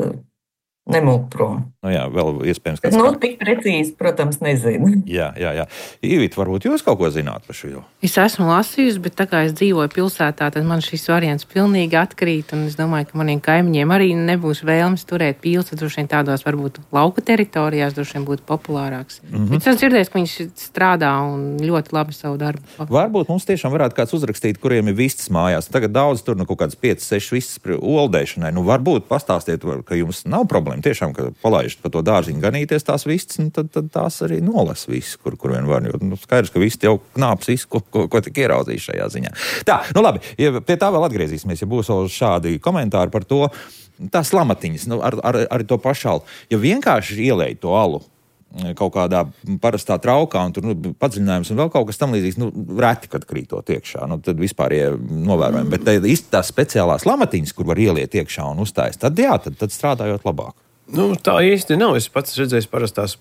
[SPEAKER 4] nemūk prom.
[SPEAKER 2] Vēl iespējams, ka
[SPEAKER 4] tik precīzi, protams, nezinu.
[SPEAKER 2] Jā. Ivita, varbūt jūs kaut ko zināt par šo?
[SPEAKER 1] Es esmu lasījusi, bet tā kā es dzīvoju pilsētā, tad man šis variants pilnīgi atkrīt, un es domāju, ka maniem kaimiņiem arī nebūs vēlmes turēt pīles, tad droši vien tādās varbūt lauka teritorijās droši vien būtu populārāks. Bet es dzirdēju, ka viņš strādā un ļoti labi savu darbu.
[SPEAKER 2] Varbūt mums tiešām varētu kāds uzrakstīt, kuriem ir vistas mājās. Tagad daudz tur kaut kādas 5-6 vistas oldēšanai. Varbūt pastāstiet, ka jums nav problēma. Tiešām, ka palaižat pa to dārziņu ganīties tās vistas, tad tās arī nolas visu, kur vien var. Jo, skaidrs, ka visi jau knāps visu, ko tik ieraudzīs šajā ziņā. Tā, labi, pie tā vēl atgriezīsimies, ja būs vēl šādi komentāri par to. Tās lamatiņas, ar to pašalu. Ja vienkārši ielēj to alu kaut kādā parastā traukā, un tur padziļinājums un vēl kaut kas tam līdzīgs, reti, kad krītot iekšā, tad vispār novērojami. Bet tās speciālās lamatiņas, kur var ieliet iekšā un uztājas, tad strādājot labāk.
[SPEAKER 3] Tā īsti nav. Es pats redzēju parastās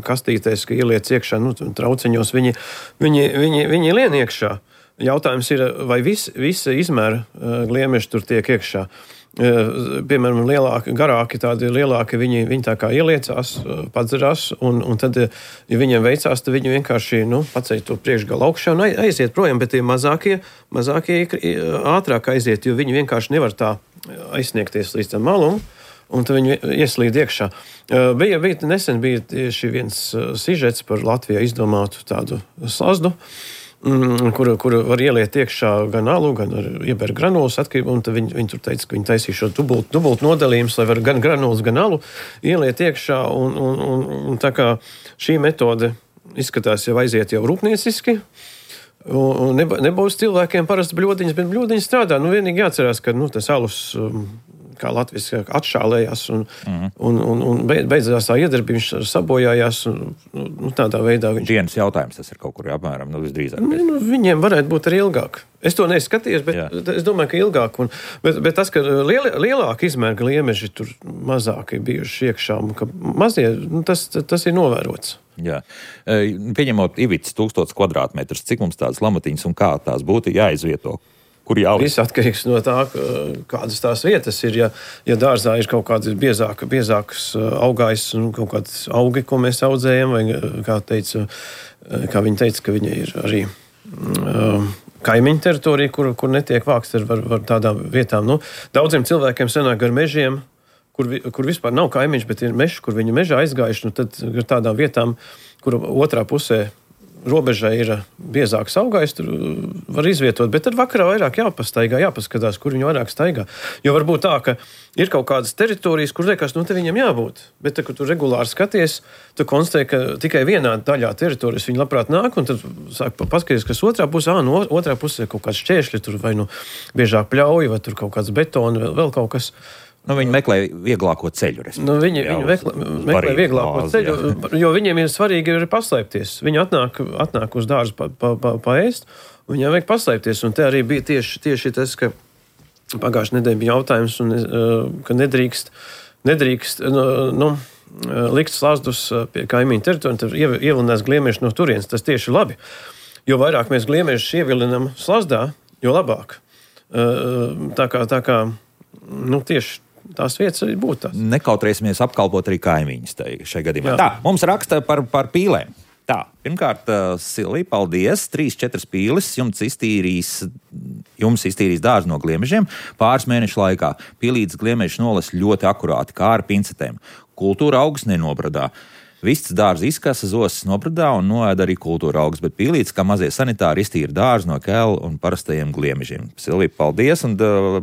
[SPEAKER 3] kastītēs, ka ieliec iekšā, trauciņos viņi lien iekšā. Jautājums ir, vai visa izmēra gliemeži tur tiek iekšā. Piemēram, garāki, tādi lielāki, viņi tā kā ieliecās, padzerās, un tad, ja viņiem veicās, tad viņi vienkārši paceļ to priekšgalu augšā un aiziet projām, bet tie mazākie ātrāk aiziet, jo viņi vienkārši nevar tā aizsniegties līdz tam malum, un tad viņi ieslīd iekšā. Nesen bija tieši viens sižets par Latvijā izdomātu tādu slazdu, kuru var ieliet iekšā gan alu, gan ieber granulas atkarību, un tad viņi tur teica, ka viņi taisīs šo dubult nodalījumus, lai var gan granulas, gan alu ieliet iekšā, un tā kā šī metode izskatās jau aiziet jau rūpnieciski, un nebūs cilvēkiem parasti bļodiņas, bet bļodiņas strādā. Vienīgi jāatcerās, ka tas alus, kā Latvijas, atšālējās un beidzās tā iedarbība, viņš sabojājās un tādā veidā viņš...
[SPEAKER 2] Dienas jautājums tas ir kaut kur apmēram, visdrīzāk.
[SPEAKER 3] Viņiem varētu būt arī ilgāk. Es to neskaties, bet es domāju, ka ilgāk. Bet tas, ka lielāka izmēra gliemeži tur mazāk ir bijuši iekšā, un ka mazie, tas ir novērots.
[SPEAKER 2] Jā. Pieņemot Ivits 1000 kvadrātmetrus, cik mums tādas lamatiņas un kā tās būtu jāizvieto? Kur jāliek?
[SPEAKER 3] Viss atkarīgs no tā, kādas tās vietas ir. Ja dārzā ir kaut kāds biezāks augājs un kaut kāds augi, ko mēs audzējam, vai kā viņi teica, ka viņa ir arī kaimiņu teritorija, kur netiek vākts ar tādām vietām. Daudziem cilvēkiem sanāk ar mežiem, kur vispār nav kaimiņš, bet ir mežs, kur viņi mežā aizgājuši, tad ar tādām vietām, kur otrā pusē robežai ir biezāks augājs, tur var izvietot, bet tad vakarā vairāk jāpastaigā, jāpaskatās, kur viņi vairāk staigā. Jo varbūt tā, ka ir kaut kādas teritorijas, kur liekas, te viņiem jābūt, bet kad tu regulāri skaties, tu konstatē, ka tikai vienā daļā teritorijas viņi labprāt nāk, un tad sāk paskatīties, kas otrā pusē, otrā pusē kaut kāds šķēršļi, tur vai biežāk pļauj, vai tur kaut kāds betoni, vēl kaut kas.
[SPEAKER 2] Viņi meklē vieglāko ceļu.
[SPEAKER 3] Viņi meklē vieglāko ceļu, jo viņiem ir svarīgi paslēpties. Viņi atnāk uz dārzu paēst, un viņiem vajag paslēpties. Un te arī bija tieši tas, ka pagājušajā nedēļā bija jautājums, ka nedrīkst likt slazdus pie kaimiņu teritoriju, tad ievilinās gliemeži no turienes. Tas tieši labi. Jo vairāk mēs gliemežus ievilinām slazdā, jo labāk. Tā kā tieši tās vietas arī būtu tās.
[SPEAKER 2] Nekautrēsimies apkalpot arī kaimiņus šajā gadījumā. Tā, mums raksta par pīlēm. Tā, pirmkārt, Silvija, paldies. 3-4 pīles jums iztīrīs dārzu no gliemežiem pāris mēnešu laikā. Pīlītes gliemežu nolas ļoti akurāti, kā ar pincetēm. Kultūra augus nenobradā. Vists dārza izkasa, zosas nobradā un noēda arī kultūra augus, bet pīlītes, kā mazie sanitāri, iztīra dārzu no kēlu un parastajiem gliemežiem. Silvija, paldies, un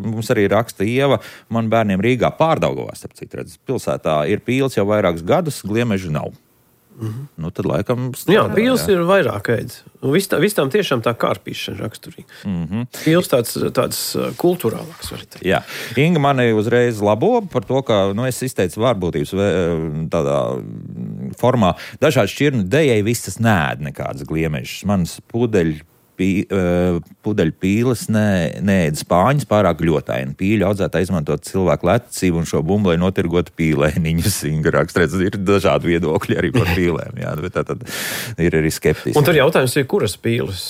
[SPEAKER 2] mums arī raksta Ieva, man bērniem Rīgā Pārdaugavā, starp citu, redz, pilsētā ir pīles jau vairākus gadus, gliemežu nav. Tad laikam...
[SPEAKER 3] Pīles ir vairāk ēd. Visām tiešām tā kārpīšana raksturīga. Pīles tāds kulturālāks, var teikt.
[SPEAKER 2] Jā. Inga mani uzreiz labo par to, ka, es izteicu vārbūtības tādā formā. Dažādi šķirnu dejai visas neēd nekādas gliemežas. Manas pudeļu pīles neēd spāņas pārāk ļotaini. Pīļu audzētāji izmantot cilvēku lecību un šo bumbu, lai notirgotu pīlēniņus. Inga raksta, ir dažādi viedokļi arī par pīlēm. Jā, bet tad ir arī skeptiski.
[SPEAKER 3] Un tur jautājums ir, kuras pīles?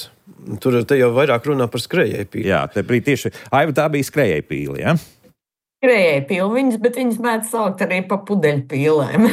[SPEAKER 3] Tur te jau vairāk runā par skrējēju pīli.
[SPEAKER 2] Jā, te brīd tieši, Aiva, tā bija skrējēju pīli, jā?
[SPEAKER 4] Skrējēju pilviņas, bet viņas mēdz saukt arī pa pudeļu pīlēm.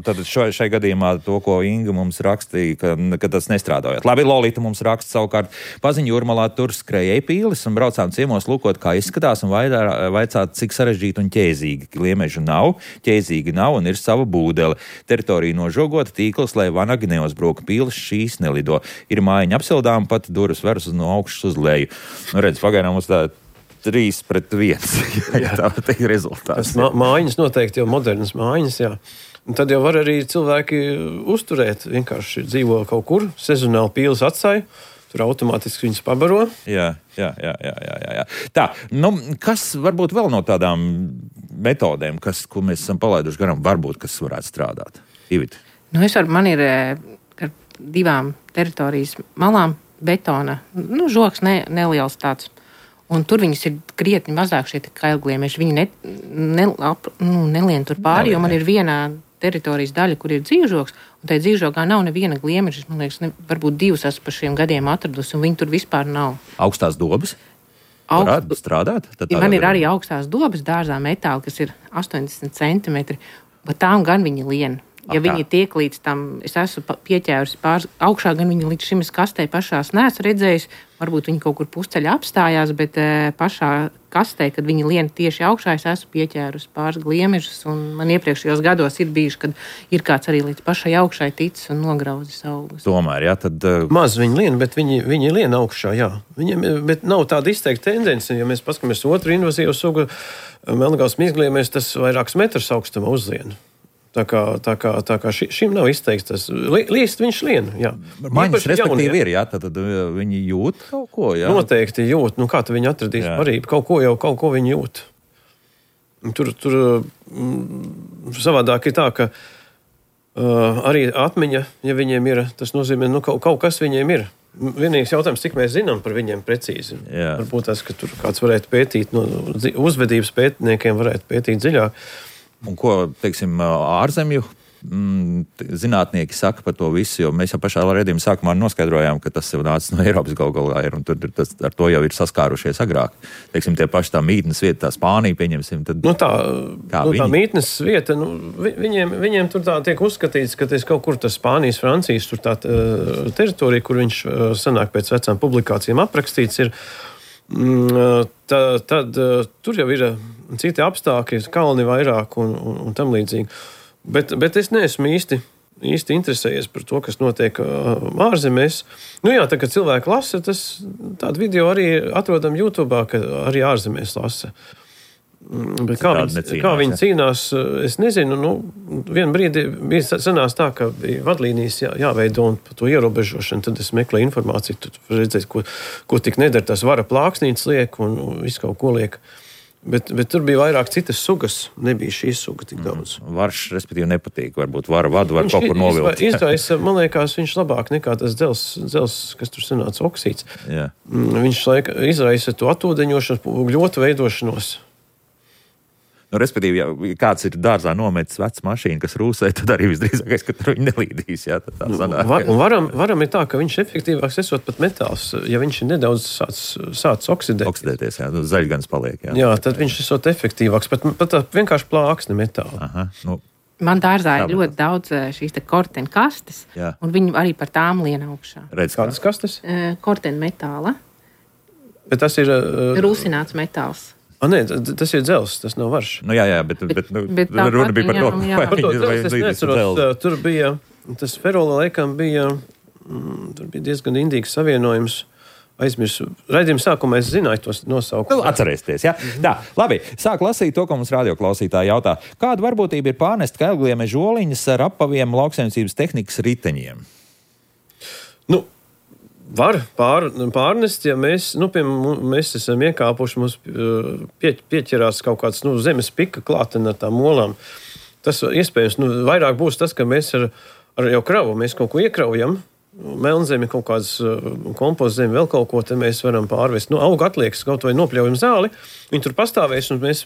[SPEAKER 2] Tad šai gadījumā to, ko Inga mums rakstīja, ka tas nestrādājot. Labi, Lolita mums raksta savukārt paziņu Jūrmalā tur skrējēju pīles un braucām ciemos lūkot, kā izskatās un vaicāt, cik sarežģīti un ķēzīgi. Gliemežu nav, ķēzīgi nav un ir sava būdele. Teritorija nožogota, tīkls, lai vanagi neuzbruka, pīles šīs nelido. Ir mājiņa apsildām, pat durvis veras no augšas uz leju. Redz, pagaidām mums tā 3-1. Tā ir rezultāts.
[SPEAKER 3] Mājiņas noteikti jau modernas mājiņas, jā. Un tad jau var arī cilvēki uzturēt, vienkārši dzīvo kaut kur, sezonāli pīles atstāja, tur automātiski viņas pabaro.
[SPEAKER 2] Jā. Tā, kas varbūt vēl no tādām metodēm, ko mēs esam palaiduši garām, varbūt, kas varētu strādāt? Ivita.
[SPEAKER 1] Man ir ar 2 teritorijas malām betona, žoks neliels tāds. Un tur viņas ir krietni mazāk šie kailgliemeži. Viņi nelien tur pāri, jo man ir viena teritorijas daļa, kur ir dzīvžoks, un tajā dzīvžokā nav neviena gliemeža. Man liekas, varbūt 2 esmu par šiem gadiem atradusi, un viņi tur vispār nav.
[SPEAKER 2] Augstās dobas? Varētu strādāt?
[SPEAKER 1] Man ir arī augstās dobas dārzā metāli, kas ir 80 centimetri, bet tām gan viņi lien. Ja viņi tiek līdz tam, es esmu pieķērusi pāris augšā, gan viņi līdz šim es kastē pašās neesmu redzējis, varbūt viņi kaut kur pusceļā apstājās, bet pašā kastē, kad viņi lien tieši augšā, es esmu pieķērusi pāris gliemežus, un man iepriekšējos gados ir bijuši, kad ir kāds arī līdz pašai augšai ticis un nograuzis augus.
[SPEAKER 2] Tomēr, jā, tad...
[SPEAKER 3] Maz viņi lien, bet viņi lien augšā, jā. Viņiem, bet nav tāda izteikta tendence, ja mēs paskatāmies otru invazīvu sugu, melngals mizgliemies, tas vairākus metrus augstumā uzlien. Tā kā šim nav izteikts tas. Līst viņš lien, jā.
[SPEAKER 2] Maņas respektīvi ir, jā, tad viņi jūt kaut ko, jā?
[SPEAKER 3] Noteikti jūt. Nu, kā tu viņi atradīs parību? Kaut ko viņi jūt. Tur savādāk ir tā, ka arī atmiņa, ja viņiem ir, tas nozīmē, nu, kaut kas viņiem ir. Vienīgais jautājums, cik mēs zinām par viņiem precīzi. Jā. Varbūt tas, ka tur kāds varētu pētīt, no uzvedības pētniekiem varētu pētīt dziļāk.
[SPEAKER 2] Un ko, teiksim, ārzemju zinātnieki saka par to visu, jo mēs jau pašā redzījuma sākumā noskaidrojām, ka tas jau nācis no Eiropas galā ir, un tur ar to jau ir saskārušies agrāk. Teiksim, tie paši tā mītnes vieta, tā Spānija, pieņemsim. Tad,
[SPEAKER 3] tā mītnes vieta, viņiem tur tā tiek uzskatīts, ka tas kaut kur tas Spānijas, Francijas, tur tā teritorija, kur viņš sanāk pēc vecām publikācijām aprakstīts ir, tad tur jau ir citi apstākļi, kalni vairāk un tam līdzīgi. Bet es neesmu īsti interesējies par to, kas notiek ārzemēs. Nu jā, tā, kad cilvēki lasa, tādu video arī atrodam YouTube, ka arī ārzemēs lasa. Bet kā viņi cīnās, es nezinu. Nu, vienu brīdi bija sanās tā, ka bija vadlīnijas jāveido un par to ierobežošanu. Tad es meklēju informāciju, tad redzēju, ko tik nedara. Tas vara plāksnītes liek un visu kaut ko liek. Bet tur bija vairāk citas sugas, nebija šīs suga tik daudz.
[SPEAKER 2] Varš, respektīvi, nepatīk. Varbūt vadu var kaut kur novilkt.
[SPEAKER 3] Izraisa, man liekas, viņš labāk nekā tas dzels, kas tur sanāca oksīds.
[SPEAKER 2] Jā.
[SPEAKER 3] Viņš izraisa to atūdeņošanos, gļotu veidošanos.
[SPEAKER 2] Nu, respektīvi, ja kāds ir dārzā nometis vecu mašīnu, kas rūsē, tad arī visdrīzākais, ka tur viņi nelīdīs. Jā,
[SPEAKER 3] varam ir tā, ka viņš efektīvāks esot pat metāls. Ja viņš ir nedaudz sācis oksidēties,
[SPEAKER 2] jā, zaļgans paliek.
[SPEAKER 3] Jā, tad viņš esot efektīvāks. Pat vienkārši plāksne metāla.
[SPEAKER 2] Aha, nu.
[SPEAKER 1] Man dārzā ir ļoti daudz šīs kortena kastes, un viņi arī par tām lien augšā.
[SPEAKER 3] Kādas kastes?
[SPEAKER 1] Kortena metāla.
[SPEAKER 3] Bet tas ir...
[SPEAKER 1] Rūsināts metāls.
[SPEAKER 3] Nē, tas ir dzels, tas nav varš.
[SPEAKER 2] Nu, jā, bet runa bija par to.
[SPEAKER 3] Es neatceros, tur bija, tas ferola laikam bija, tur bija diezgan indīgs savienojums. Aizmirsu. Raidījuma sākumā es zināju tos nosaukumus.
[SPEAKER 2] Atcerēsties, jā. Tā, labi, sāk lasīt to, ko mums radioklausītāji jautā. Kāda varbūtība ir pārnest kailgliemežu oliņas ar apaviem lauksaimniecības tehnikas riteņiem?
[SPEAKER 3] Nu, var pārnest, ja mēs esam iekāpuši, mums pieķerās kaut kāds zemes pika klātena ar tām olām. Tas iespējams, vairāk būs tas, ka mēs ar jau kravu, mēs kaut ko iekraujam, melnzemi, kaut kādas kompoztzemi, vēl kaut ko, te mēs varam pārvest. Auga atliekas, kaut vai nopļaujam zāli, viņi tur pastāvēs, un mēs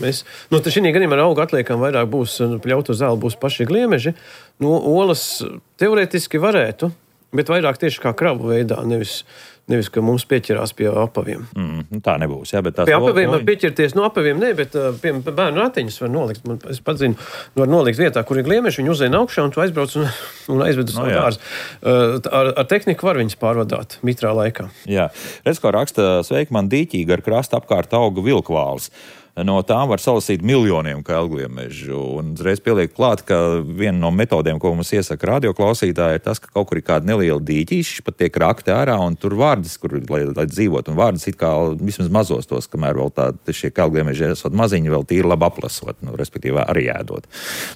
[SPEAKER 3] šī gadījumā ar auga atliekām vairāk būs, pļautu zāli būs paši gliemeži. Olas teorētiski varētu, bet vairāk tieši kā kravu veidā, nevis ka mums pieķerās pie apaviem.
[SPEAKER 2] Tā nebūs, jā, bet tās...
[SPEAKER 3] Pie apaviem var pieķerties, apaviem ne, bet pie bērnu ratiņus var nolikt. Es pat zinu, var nolikt vietā, kur ir gliemeži, viņi uzēna augšā, un tu aizbrauc un aizved uz savu dārzu. Ar tehniku var viņus pārvadāt mitrā laikā. Jā.
[SPEAKER 2] Redz, ko raksta, sveiki, man dīķīgi ar krastu apkārt auga vilkvāls. No tām var salasīt miljoniem kailgliemežu. Un uzreiz pieliek klāt, ka viena no metodēm, ko mums iesaka radioklausītāji, ir tas, ka kaut kur ir kāda neliela dīķīša, pat tiek rakti ārā, un tur vārdas, kur, lai dzīvot, un vārdas it kā vismaz mazos tos, kamēr vēl šie kailgliemeži esot maziņi, vēl tīri labi aplasot, respektīvi arī ēdot.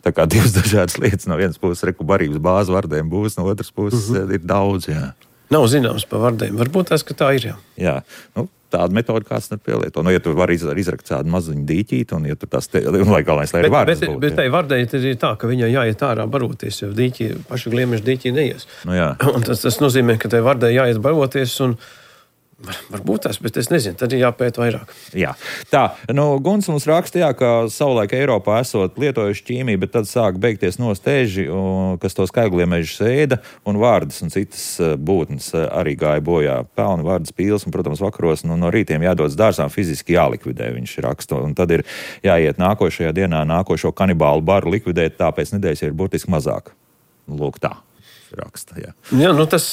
[SPEAKER 2] Tā kā divas dažādas lietas, no vienas puses barības bāze vardēm būs, no otras puses ir daudz, jā.
[SPEAKER 3] Nav zināms par vardēm, varbūt tas, ka tā ir, jā.
[SPEAKER 2] Jā, tāda metode kāds nepielieto. Ja tu vari izrakt tādu maziņu dīķīti, un ja tu tās lai galvenais, lai arī vārdas būtu.
[SPEAKER 3] Bet tai vardei ir tā, ka viņai jāiet ārā baroties, jo paši gliemeži dīķī neies.
[SPEAKER 2] Jā.
[SPEAKER 3] Un tas nozīmē, ka tai vardei jāiet baroties, un Varbūt tas, bet es nezinu, tad ir jāpēta vairāk.
[SPEAKER 2] Jā. Tā, Guns mums raksta, ka savulaik Eiropā esot lietojuši ķīmiju, bet tad sāk beigties nostēži, kas tos skaigliemežus ēda, un vārdas un citas būtnes arī gāja bojā. Pelni, vārdas, pīles, un, protams, vakaros no rītiem jādodas dārzām, fiziski jālikvidē, viņš raksta. Un tad ir jāiet nākošajā dienā nākošo kanibālu baru likvidēt, tāpēc nedēļas ir burtiski mazāk. Lūk tā. Raksta, jā.
[SPEAKER 3] Jā, tas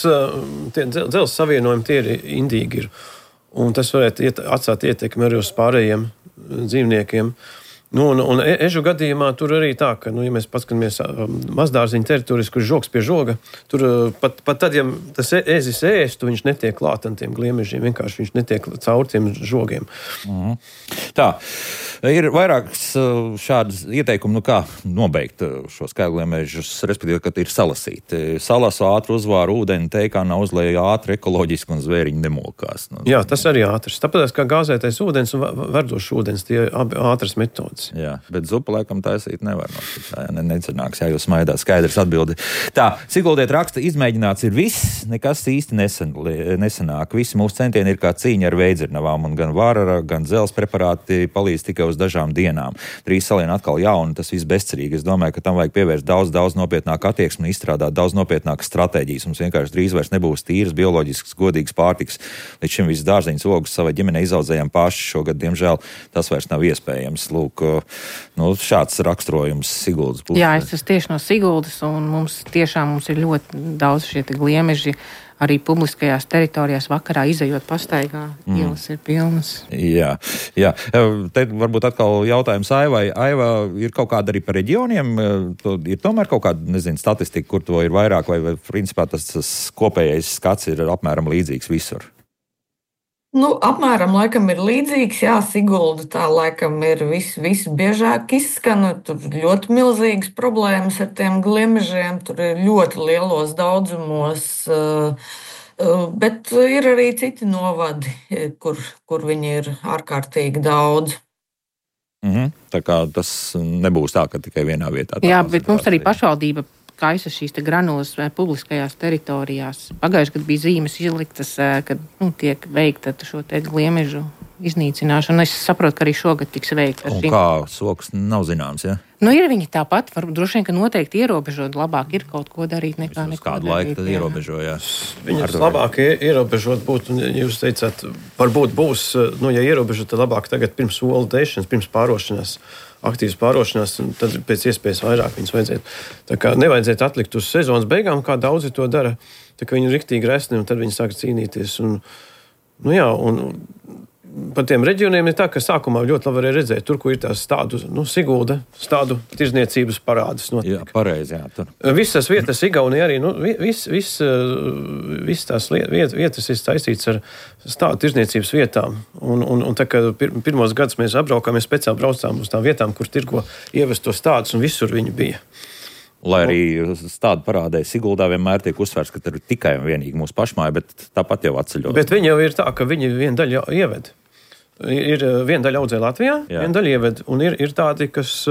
[SPEAKER 3] dzelzs savienojumi tie ir indīgi. Un tas varētu atstāt ietekmi arī uz pārējiem dzīvniekiem. Un ežu gadījumā tur arī tā, ka, ja mēs paskatāmies mazdārziņu teritorijas, kur žogs pie žoga, tur pat tad, ja tas ezis ēstu, viņš netiek klāt ar tiem gliemežiem, vienkārši viņš netiek caur tiem žogiem.
[SPEAKER 2] Mhm. Tā, ir vairākas šādas ieteikumi, kā nobeigt šos skaigliemežus, respektīvi, kad ir salasīti. Salasu ātru uzvāru ūdeni, teikāna uzlēja ātri, ekoloģiski un zvēriņi nemokās.
[SPEAKER 3] Jā, tas arī ātrs. Tāpēc, kā gāzētais ūdens un verdošs ūdens, tie abi ātras metodas.
[SPEAKER 2] Jā, bet zupu laikam taisīt nevar. Necenāks, jā, jūs smaidāt, skaidrs atbildi. Tā, Siguldiet raksta, izmēģināts ir viss, nekas īsti nesanāk. Visi mūsu centieni ir kā cīņa ar veidzirnavām, un gan vārara, gan dzels preparāti palīdz tikai uz dažām dienām. Drīz salien atkal jauni, tas viss bezcerīgi. Es domāju, ka tam vajag pievērst daudz nopietnāku attieksmi un izstrādāt daudz nopietnākas stratēģijas. Mums vienkārši drīz vairs nebūs tīras, bioloģisks, godīgs pārtiks. Līdz šim viss dārziņas ogus savai ģimenei izaudzējām paši. Šogad, diemžēl, tas vairs nav iespējams. Lūk, šāds raksturojums Siguldas puses.
[SPEAKER 1] Jā, es esmu tieši no Siguldas, un mums ir ļoti daudz šie gliemeži. Arī publiskajās teritorijās vakarā izejot pastaigā, ielas ir pilnas.
[SPEAKER 2] Jā. Te varbūt atkal jautājums Aivai. Aiva, ir kaut kāda arī par reģioniem? Ir tomēr kaut kāda, statistika, kur to ir vairāk, vai principā tas kopējais skats ir apmēram līdzīgs visur?
[SPEAKER 4] Apmēram laikam ir līdzīgs. Jā, Sigulda tā laikam ir visbiežāk izskan. Tur ļoti milzīgas problēmas ar tiem gliemežiem. Tur ir ļoti lielos daudzumos. Bet ir arī citi novadi, kur viņi ir ārkārtīgi daudz.
[SPEAKER 2] Tā kā tas nebūs tā, ka tikai vienā vietā.
[SPEAKER 1] Jā, bet mums arī pašvaldība kaisa šīs granulas publiskajās teritorijās. Pagājušajā gadā bija zīmes izliktas, kad tiek veikta šo gliemežu iznīcināšana. Es saprotu, ka arī šogad tiks veikta.
[SPEAKER 2] Un kā soks nav zināms, ja?
[SPEAKER 1] Ir viņi tāpat, varbūt droši vien, ka noteikti ierobežot. Labāk ir kaut ko darīt nekā neko darīt.
[SPEAKER 2] Kādu laiku tad ierobežojās?
[SPEAKER 3] Viņus labāk ierobežot būtu, un jūs teicāt, varbūt būs, ja ierobežot, tad labāk tagad pirms olu dēšanas, pirms pārošanās, aktīvas pārošanās, tad pēc iespējas vairāk viņus vajadzētu. Tā kā nevajadzētu atlikt uz sezonas beigām, kā daudzi to dara, tā kā viņi ir riktīgi resni, un tad viņi sāk cīnīties. Un par tiem reģioniem ir tā, ka sākumā ļoti labi varēja redzēt, tur, kur ir tās tādu, Sigulda, tādu tirzniecības parādas notiek.
[SPEAKER 2] Jā, pareizi, jā. Tur.
[SPEAKER 3] Visas vietas Igaunijā arī, viss tās vietas ir saistīts ar tādu tirzniecības vietām. Un tā, ka pirmos gadus mēs apbraukām, mēs speciāli braucām uz tām vietām, kur tirgo ievestos tādus, un visur viņi bija.
[SPEAKER 2] Lai arī tādu parādēja Siguldā vienmēr tiek uzsvērts, ka tur ir tikai un vienīgi mūsu pašmāja, bet tāpat jau atceļot.
[SPEAKER 3] Bet viņi jau ir tā, ka viņi vienu daļu ieved. Ir viena daļa audzē Latvijā, viena daļa ieved, un ir tādi, kas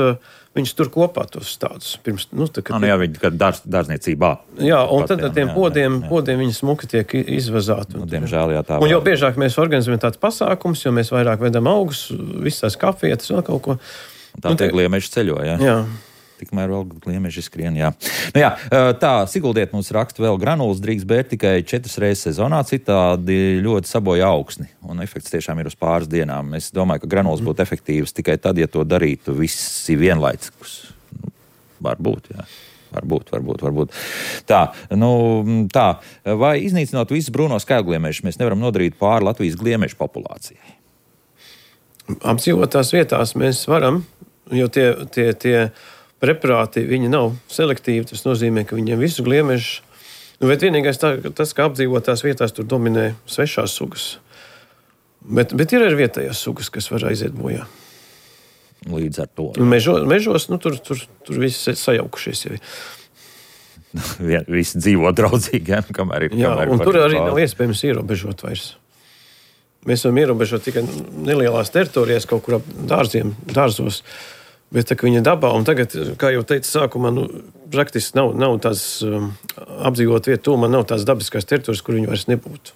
[SPEAKER 3] viņus tur kopā tos stādus. Pirms,
[SPEAKER 2] jā, viņi kā dārzniecībā.
[SPEAKER 3] Jā, un tad ar tiem podiem viņi smuki tiek izvazāti.
[SPEAKER 2] Diemžēl, jā, tā.
[SPEAKER 3] Un jau biežāk mēs organizējam tādus pasākumus, jo mēs vairāk vedam augus, visas tās kafietes un kaut ko.
[SPEAKER 2] Un tā tie gliemeži ceļo, jā.
[SPEAKER 3] Jā.
[SPEAKER 2] Tikmēr vēl gliemeži skrien, jā. Tā, Siguldiet mums raksta vēl granulas drīkst bērt tikai 4 reizes sezonā, citādi ļoti sabojā augsni. Un efekts tiešām ir uz pāris dienām. Es domāju, ka granulas būtu efektīvas tikai tad, ja to darītu visi vienlaicīgus. Varbūt, jā. Varbūt. Tā, vai iznīcinot visus brūno skaigliemežus, mēs nevaram nodarīt pāri Latvijas gliemežu populācijai?
[SPEAKER 3] Apdzīvotās vietās mēs varam, jo tie preparāti, viņi nav selektīvi, tas nozīmē, ka viņiem visu gliemežu, bet vienīgais tas, ka apdzīvotās vietās tur dominē svešās sugas. Bet ir arī vietējās sugas, kas var aiziet bojā.
[SPEAKER 2] Līdz ar to.
[SPEAKER 3] Mežos, tur viss sajaukušies jau.
[SPEAKER 2] Visi dzīvo draudzīgi, ja? Kamēr ir.
[SPEAKER 3] Un tur arī nav iespējams ierobežot vairs. Mēs varam ierobežot tikai nelielās teritorijās, kaut kur ap dārzos. Bet tā, ka viņa dabā, un tagad, kā jau teicu sākumā, praktiski nav tās apdzīvot vietu tūmā, nav tās dabiskās teritorijas, kur viņi vairs nebūtu.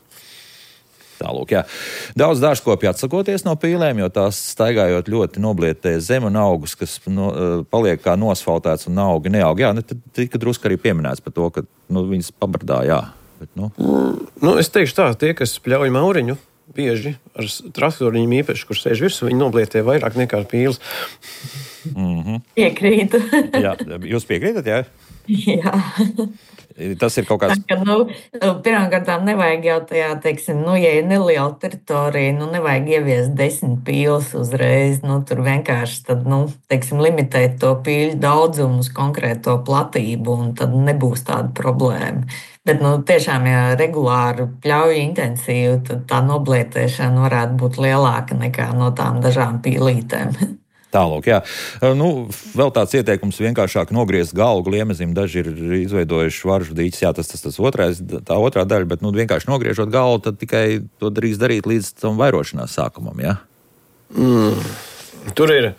[SPEAKER 2] Tālūk, jā. Daudz dārzkopju atsakoties no pīlēm, jo tās staigājot ļoti noblietē zem un augus, kas paliek kā nosfaltēts un augi neaug. Jā, tad tika drusku arī pieminēts par to, ka viņas pabardā, jā. Bet,
[SPEAKER 3] es teikšu tā, tie, kas pļauj mauriņu, bieži ar traktoriņiem īpaši, kur sēž virsū, viņi noblietē vairāk nekā pīles.
[SPEAKER 4] Piekrītu.
[SPEAKER 2] Jā, jūs piekrītat, jā?
[SPEAKER 4] Jā.
[SPEAKER 2] Tas ir kaut kāds...
[SPEAKER 4] Pirmkārtām nevajag jau tajā, teiksim, ja ir neliela teritorija, nevajag ieviest 10 pīles uzreiz. Tur vienkārši tad, teiksim, limitēt to pīļu daudzumu uz konkrēto platību, un tad nebūs tāda problēma. Bet, tiešām, ja regulāri pļauju intensīvi, tad tā noblietēšana varētu būt lielāka nekā no tām dažām pīlītēm.
[SPEAKER 2] Tālūk, jā. Vēl tāds ieteikums vienkāršāk nogriezt galvu Gliemezim. Daži ir izveidojuši varžu dīķis, jā, tas tā otrā daļa, bet vienkārši nogriežot galvu, tad tikai to drīkst darīt līdz tam vairošanās sākumam, jā?
[SPEAKER 3] Tur ir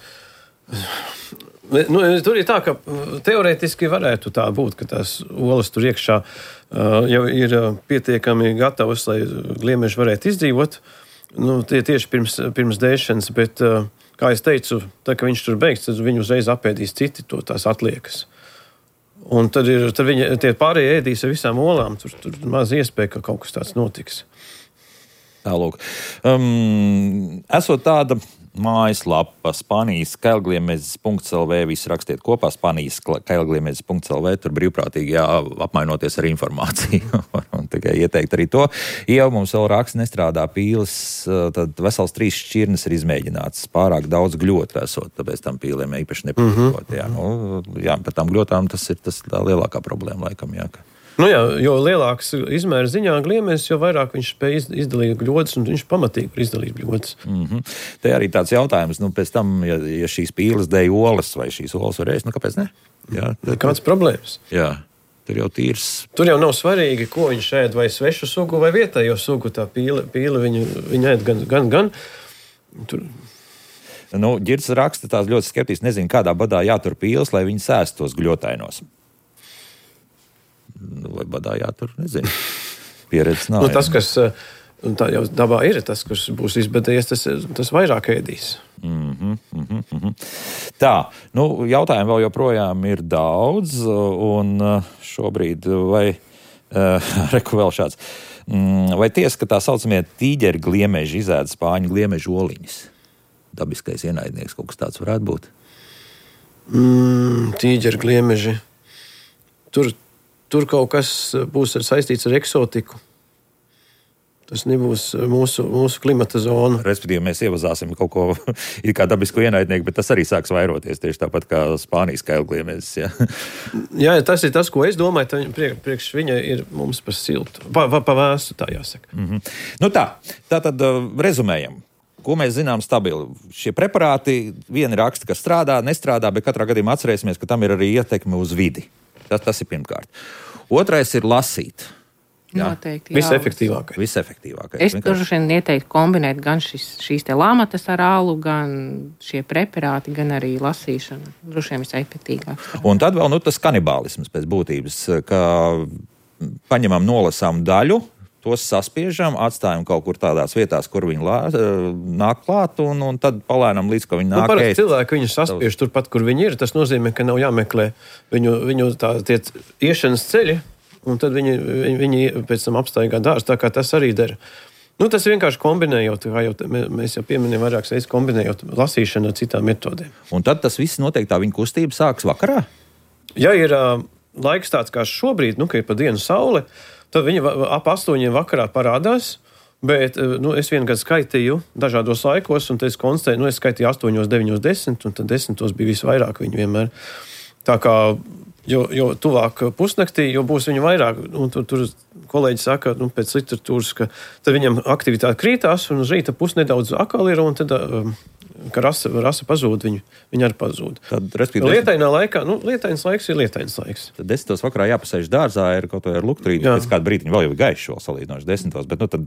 [SPEAKER 3] tā, ka teorētiski varētu tā būt, ka tās olas tur iekšā jau ir pietiekami gatavas, lai gliemeži varētu izdzīvot. Tie tieši pirms dēšanas, bet... Kā es teicu, tad, kad viņš tur beigs, tad viņu uzreiz apēdīs citi tās atliekas. Un tad tie pārējie ēdīs ar visām olām. Tur maz iespēja, ka kaut kas tāds notiks.
[SPEAKER 2] Tālūk. Esot tāda mājaslapa Spānijas kailgliemezes.lv, visi rakstiet kopā Spānijas kailgliemezes.lv, tur brīvprātīgi apmainoties ar informāciju. Un tikai ieteikt arī to. Ja mums vēl raksts nestrādā pīles, tad vesels 3 šķirnes ir izmēģināts. Pārāk daudz gļotu esot, tāpēc tam pīlēm īpaši nepatīkot. Jā, par tām gļotām tas ir tā lielākā problēma laikam, jā.
[SPEAKER 3] Jo lielāks izmēra ziņā gliemezis, jo vairāk viņš spēj izdalīt gļotas, un viņš pamatīgi var izdalīt gļotas.
[SPEAKER 2] Te arī tāds jautājums, pēc tam, ja šīs pīles dēj olas, vai šīs olas var ēst, kāpēc ne? Jā,
[SPEAKER 3] kāds problēmas?
[SPEAKER 2] Jā, tur jau tīrs.
[SPEAKER 3] Tur jau nav svarīgi, ko viņš ēd, vai svešu sugu, vai vietējo sugu. Tā pīle viņa ēd gan. Tur...
[SPEAKER 2] Ģirds raksta tās ļoti skeptiski, nezinu, kādā badā jātur pīles, lai viņi sēst tos gļotainos. Vai badā jātur, nezinu. Pieredze nav.
[SPEAKER 3] Tas, kas tā jau dabā ir, tas, kas būs izbedējies, tas vairāk ēdīs.
[SPEAKER 2] Tā, jautājumu vēl joprojām ir daudz, un šobrīd reku vēl šāds. Vai tiesa, ka tā saucamie tīģeri gliemeži izēda spāņu gliemežu oliņas? Dabiskais ienaidnieks kaut kas tāds varētu būt?
[SPEAKER 3] Tīģeri gliemeži. Tur kaut kas būs saistīts ar eksotiku. Tas nebūs mūsu klimata zona.
[SPEAKER 2] Respektīvi, mēs ievazāsim kaut ko it kā dabisku ienaidnieku, bet tas arī sāks vairoties tieši tāpat kā Spānijas kailgliemezes.
[SPEAKER 3] Jā, tas ir tas, ko es domāju. Priekš viņa ir mums par siltu. Pa vēstu, tā jāsaka.
[SPEAKER 2] Tātad rezumējam. Ko mēs zinām stabili? Šie preparāti, vieni raksta, ka strādā, nestrādā, bet katrā gadījumā atcerēsimies, ka tam ir arī ietekme uz vidi. Tas ir pirmkārt. Otrais ir lasīt.
[SPEAKER 1] Noteikti.
[SPEAKER 2] Visefektīvākais.
[SPEAKER 1] Es droši vien ieteiktu kombinēt gan šīs te lāmatas ar ālu, gan šie preparāti, gan arī lasīšana. Droši vien visefektīgāk.
[SPEAKER 2] Un tad vēl tas kanibālisms pēc būtības, ka paņemam nolasām daļu, tos saspiežam, atstājam kaut kur tādās vietās, kur viņi nāk klāt, un tad palēnam līdz, ka viņi nāk ēst.
[SPEAKER 3] Parasti cilvēki viņus saspiež turpat, kur viņi ir. Tas nozīmē, ka nav jāmeklē viņu tie iešanas ceļi, un tad viņi pēc tam apstaigā dārzu, tā kā tas arī dara. Tas vienkārši kombinējot, kā jau mēs jau pieminējām vairākas reizes, kombinējot lasīšanu ar citām metodēm.
[SPEAKER 2] Un tad tas viss noteikti tā viņa kustība sāks vakarā?
[SPEAKER 3] Ja ir laiks tāds kā šobrīd, ka ir pa dienu saule, tad viņi ap 8 vakarā parādās, bet es vienu gadu skaitīju dažādos laikos, un es konstatēju, es skaitīju 8, 9, 10, un tad 10 bija visvairāk viņi vienmēr. Tā kā, jo tuvāk pusnaktī, jo būs viņi vairāk, un tur kolēģi saka, pēc literatūras, ka tad viņam aktivitāte krītās, un uz rīta pus nedaudz akal ir, un tad, ka rasa pazūd, viņi arī pazūd. Lietainā laikā, lietainas laiks ir lietainas laiks.
[SPEAKER 2] Tad 10 vakarā jāpasēž dārzā, ir kaut vai ar lukturīti, pēc kādu brītiņu vēl jau ir gaiši vēl salīdzinoši 10, bet tad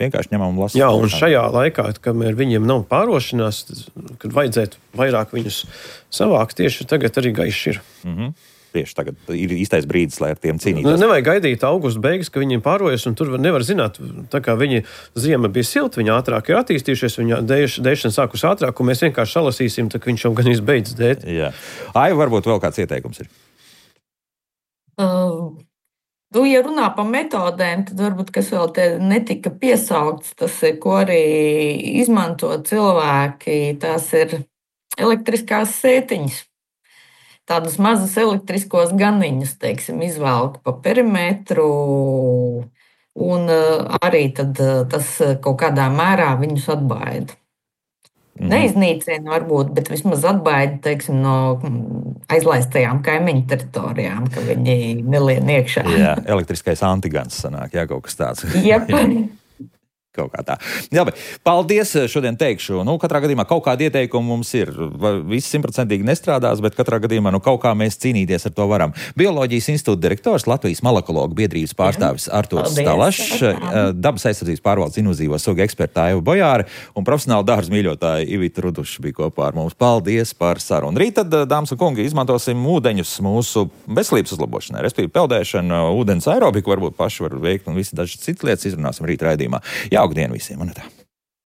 [SPEAKER 2] vienkārši ņemam un lasām.
[SPEAKER 3] Jā, un šajā laikā, kamēr viņiem nav pārošanās, kad vajadzētu vairāk viņus savākt, tieši tagad arī gaiši ir.
[SPEAKER 2] tieši tagad ir īstais brīdis, lai ar tiem cīnītos.
[SPEAKER 3] Nevajag gaidīt augusta beigas, ka viņiem pārojas, un tur nevar zināt, tā kā viņi ziema bija silta, viņi ātrāk ir attīstījušies, viņa dēšana sākus ātrāk, un mēs vienkārši salasīsim, tā ka viņš jau gan izbeidz dēt.
[SPEAKER 2] Jā. Ai, varbūt vēl kāds ieteikums ir?
[SPEAKER 4] Ja runā par metodēm, tad varbūt kas vēl te netika piesaukts, tas ir, ko arī izmanto cilvēki, tās ir elektriskās sētiņas. Tādus mazus elektriskos ganiņus, teiksim, izvelk pa perimetru, un arī tad tas kaut kādā mērā viņus atbaida. Neiznīcina varbūt, bet vismaz atbaida, teiksim, no aizlaistajām kaimiņu teritorijām, ka viņi nelien iekšā.
[SPEAKER 2] Jā, elektriskais antigans sanāk, jā, kaut kas tāds.
[SPEAKER 4] Jep.
[SPEAKER 2] Kaut kā tā. Jā, bet paldies šodien teikšu. Katrā gadījumā kaut kāda ieteikuma mums ir. Viss 100% nestrādās, bet katrā gadījumā kaut kā mēs cīnīties ar to varam. Bioloģijas institūta direktors, Latvijas malakologu biedrības pārstāvis Artūrs Stalašs, dabas aizsardzības pārvaldes invazīvo sugu eksperta Aiva Bojāre un profesionāla dārza mīļotāja Ivita Ruduša bija kopā ar mums. Paldies par sarunu. Rīt tad, dāmas un kungi, izmantosim ūdeņus mūsu veselības uzlabošanai, respektīvi peldēšanu, ūdens aerobiku varbūt paši var veikt un visi dažas citas lietas izrunāsim rīt raidījumā. Jauku dienu visiem, un tā.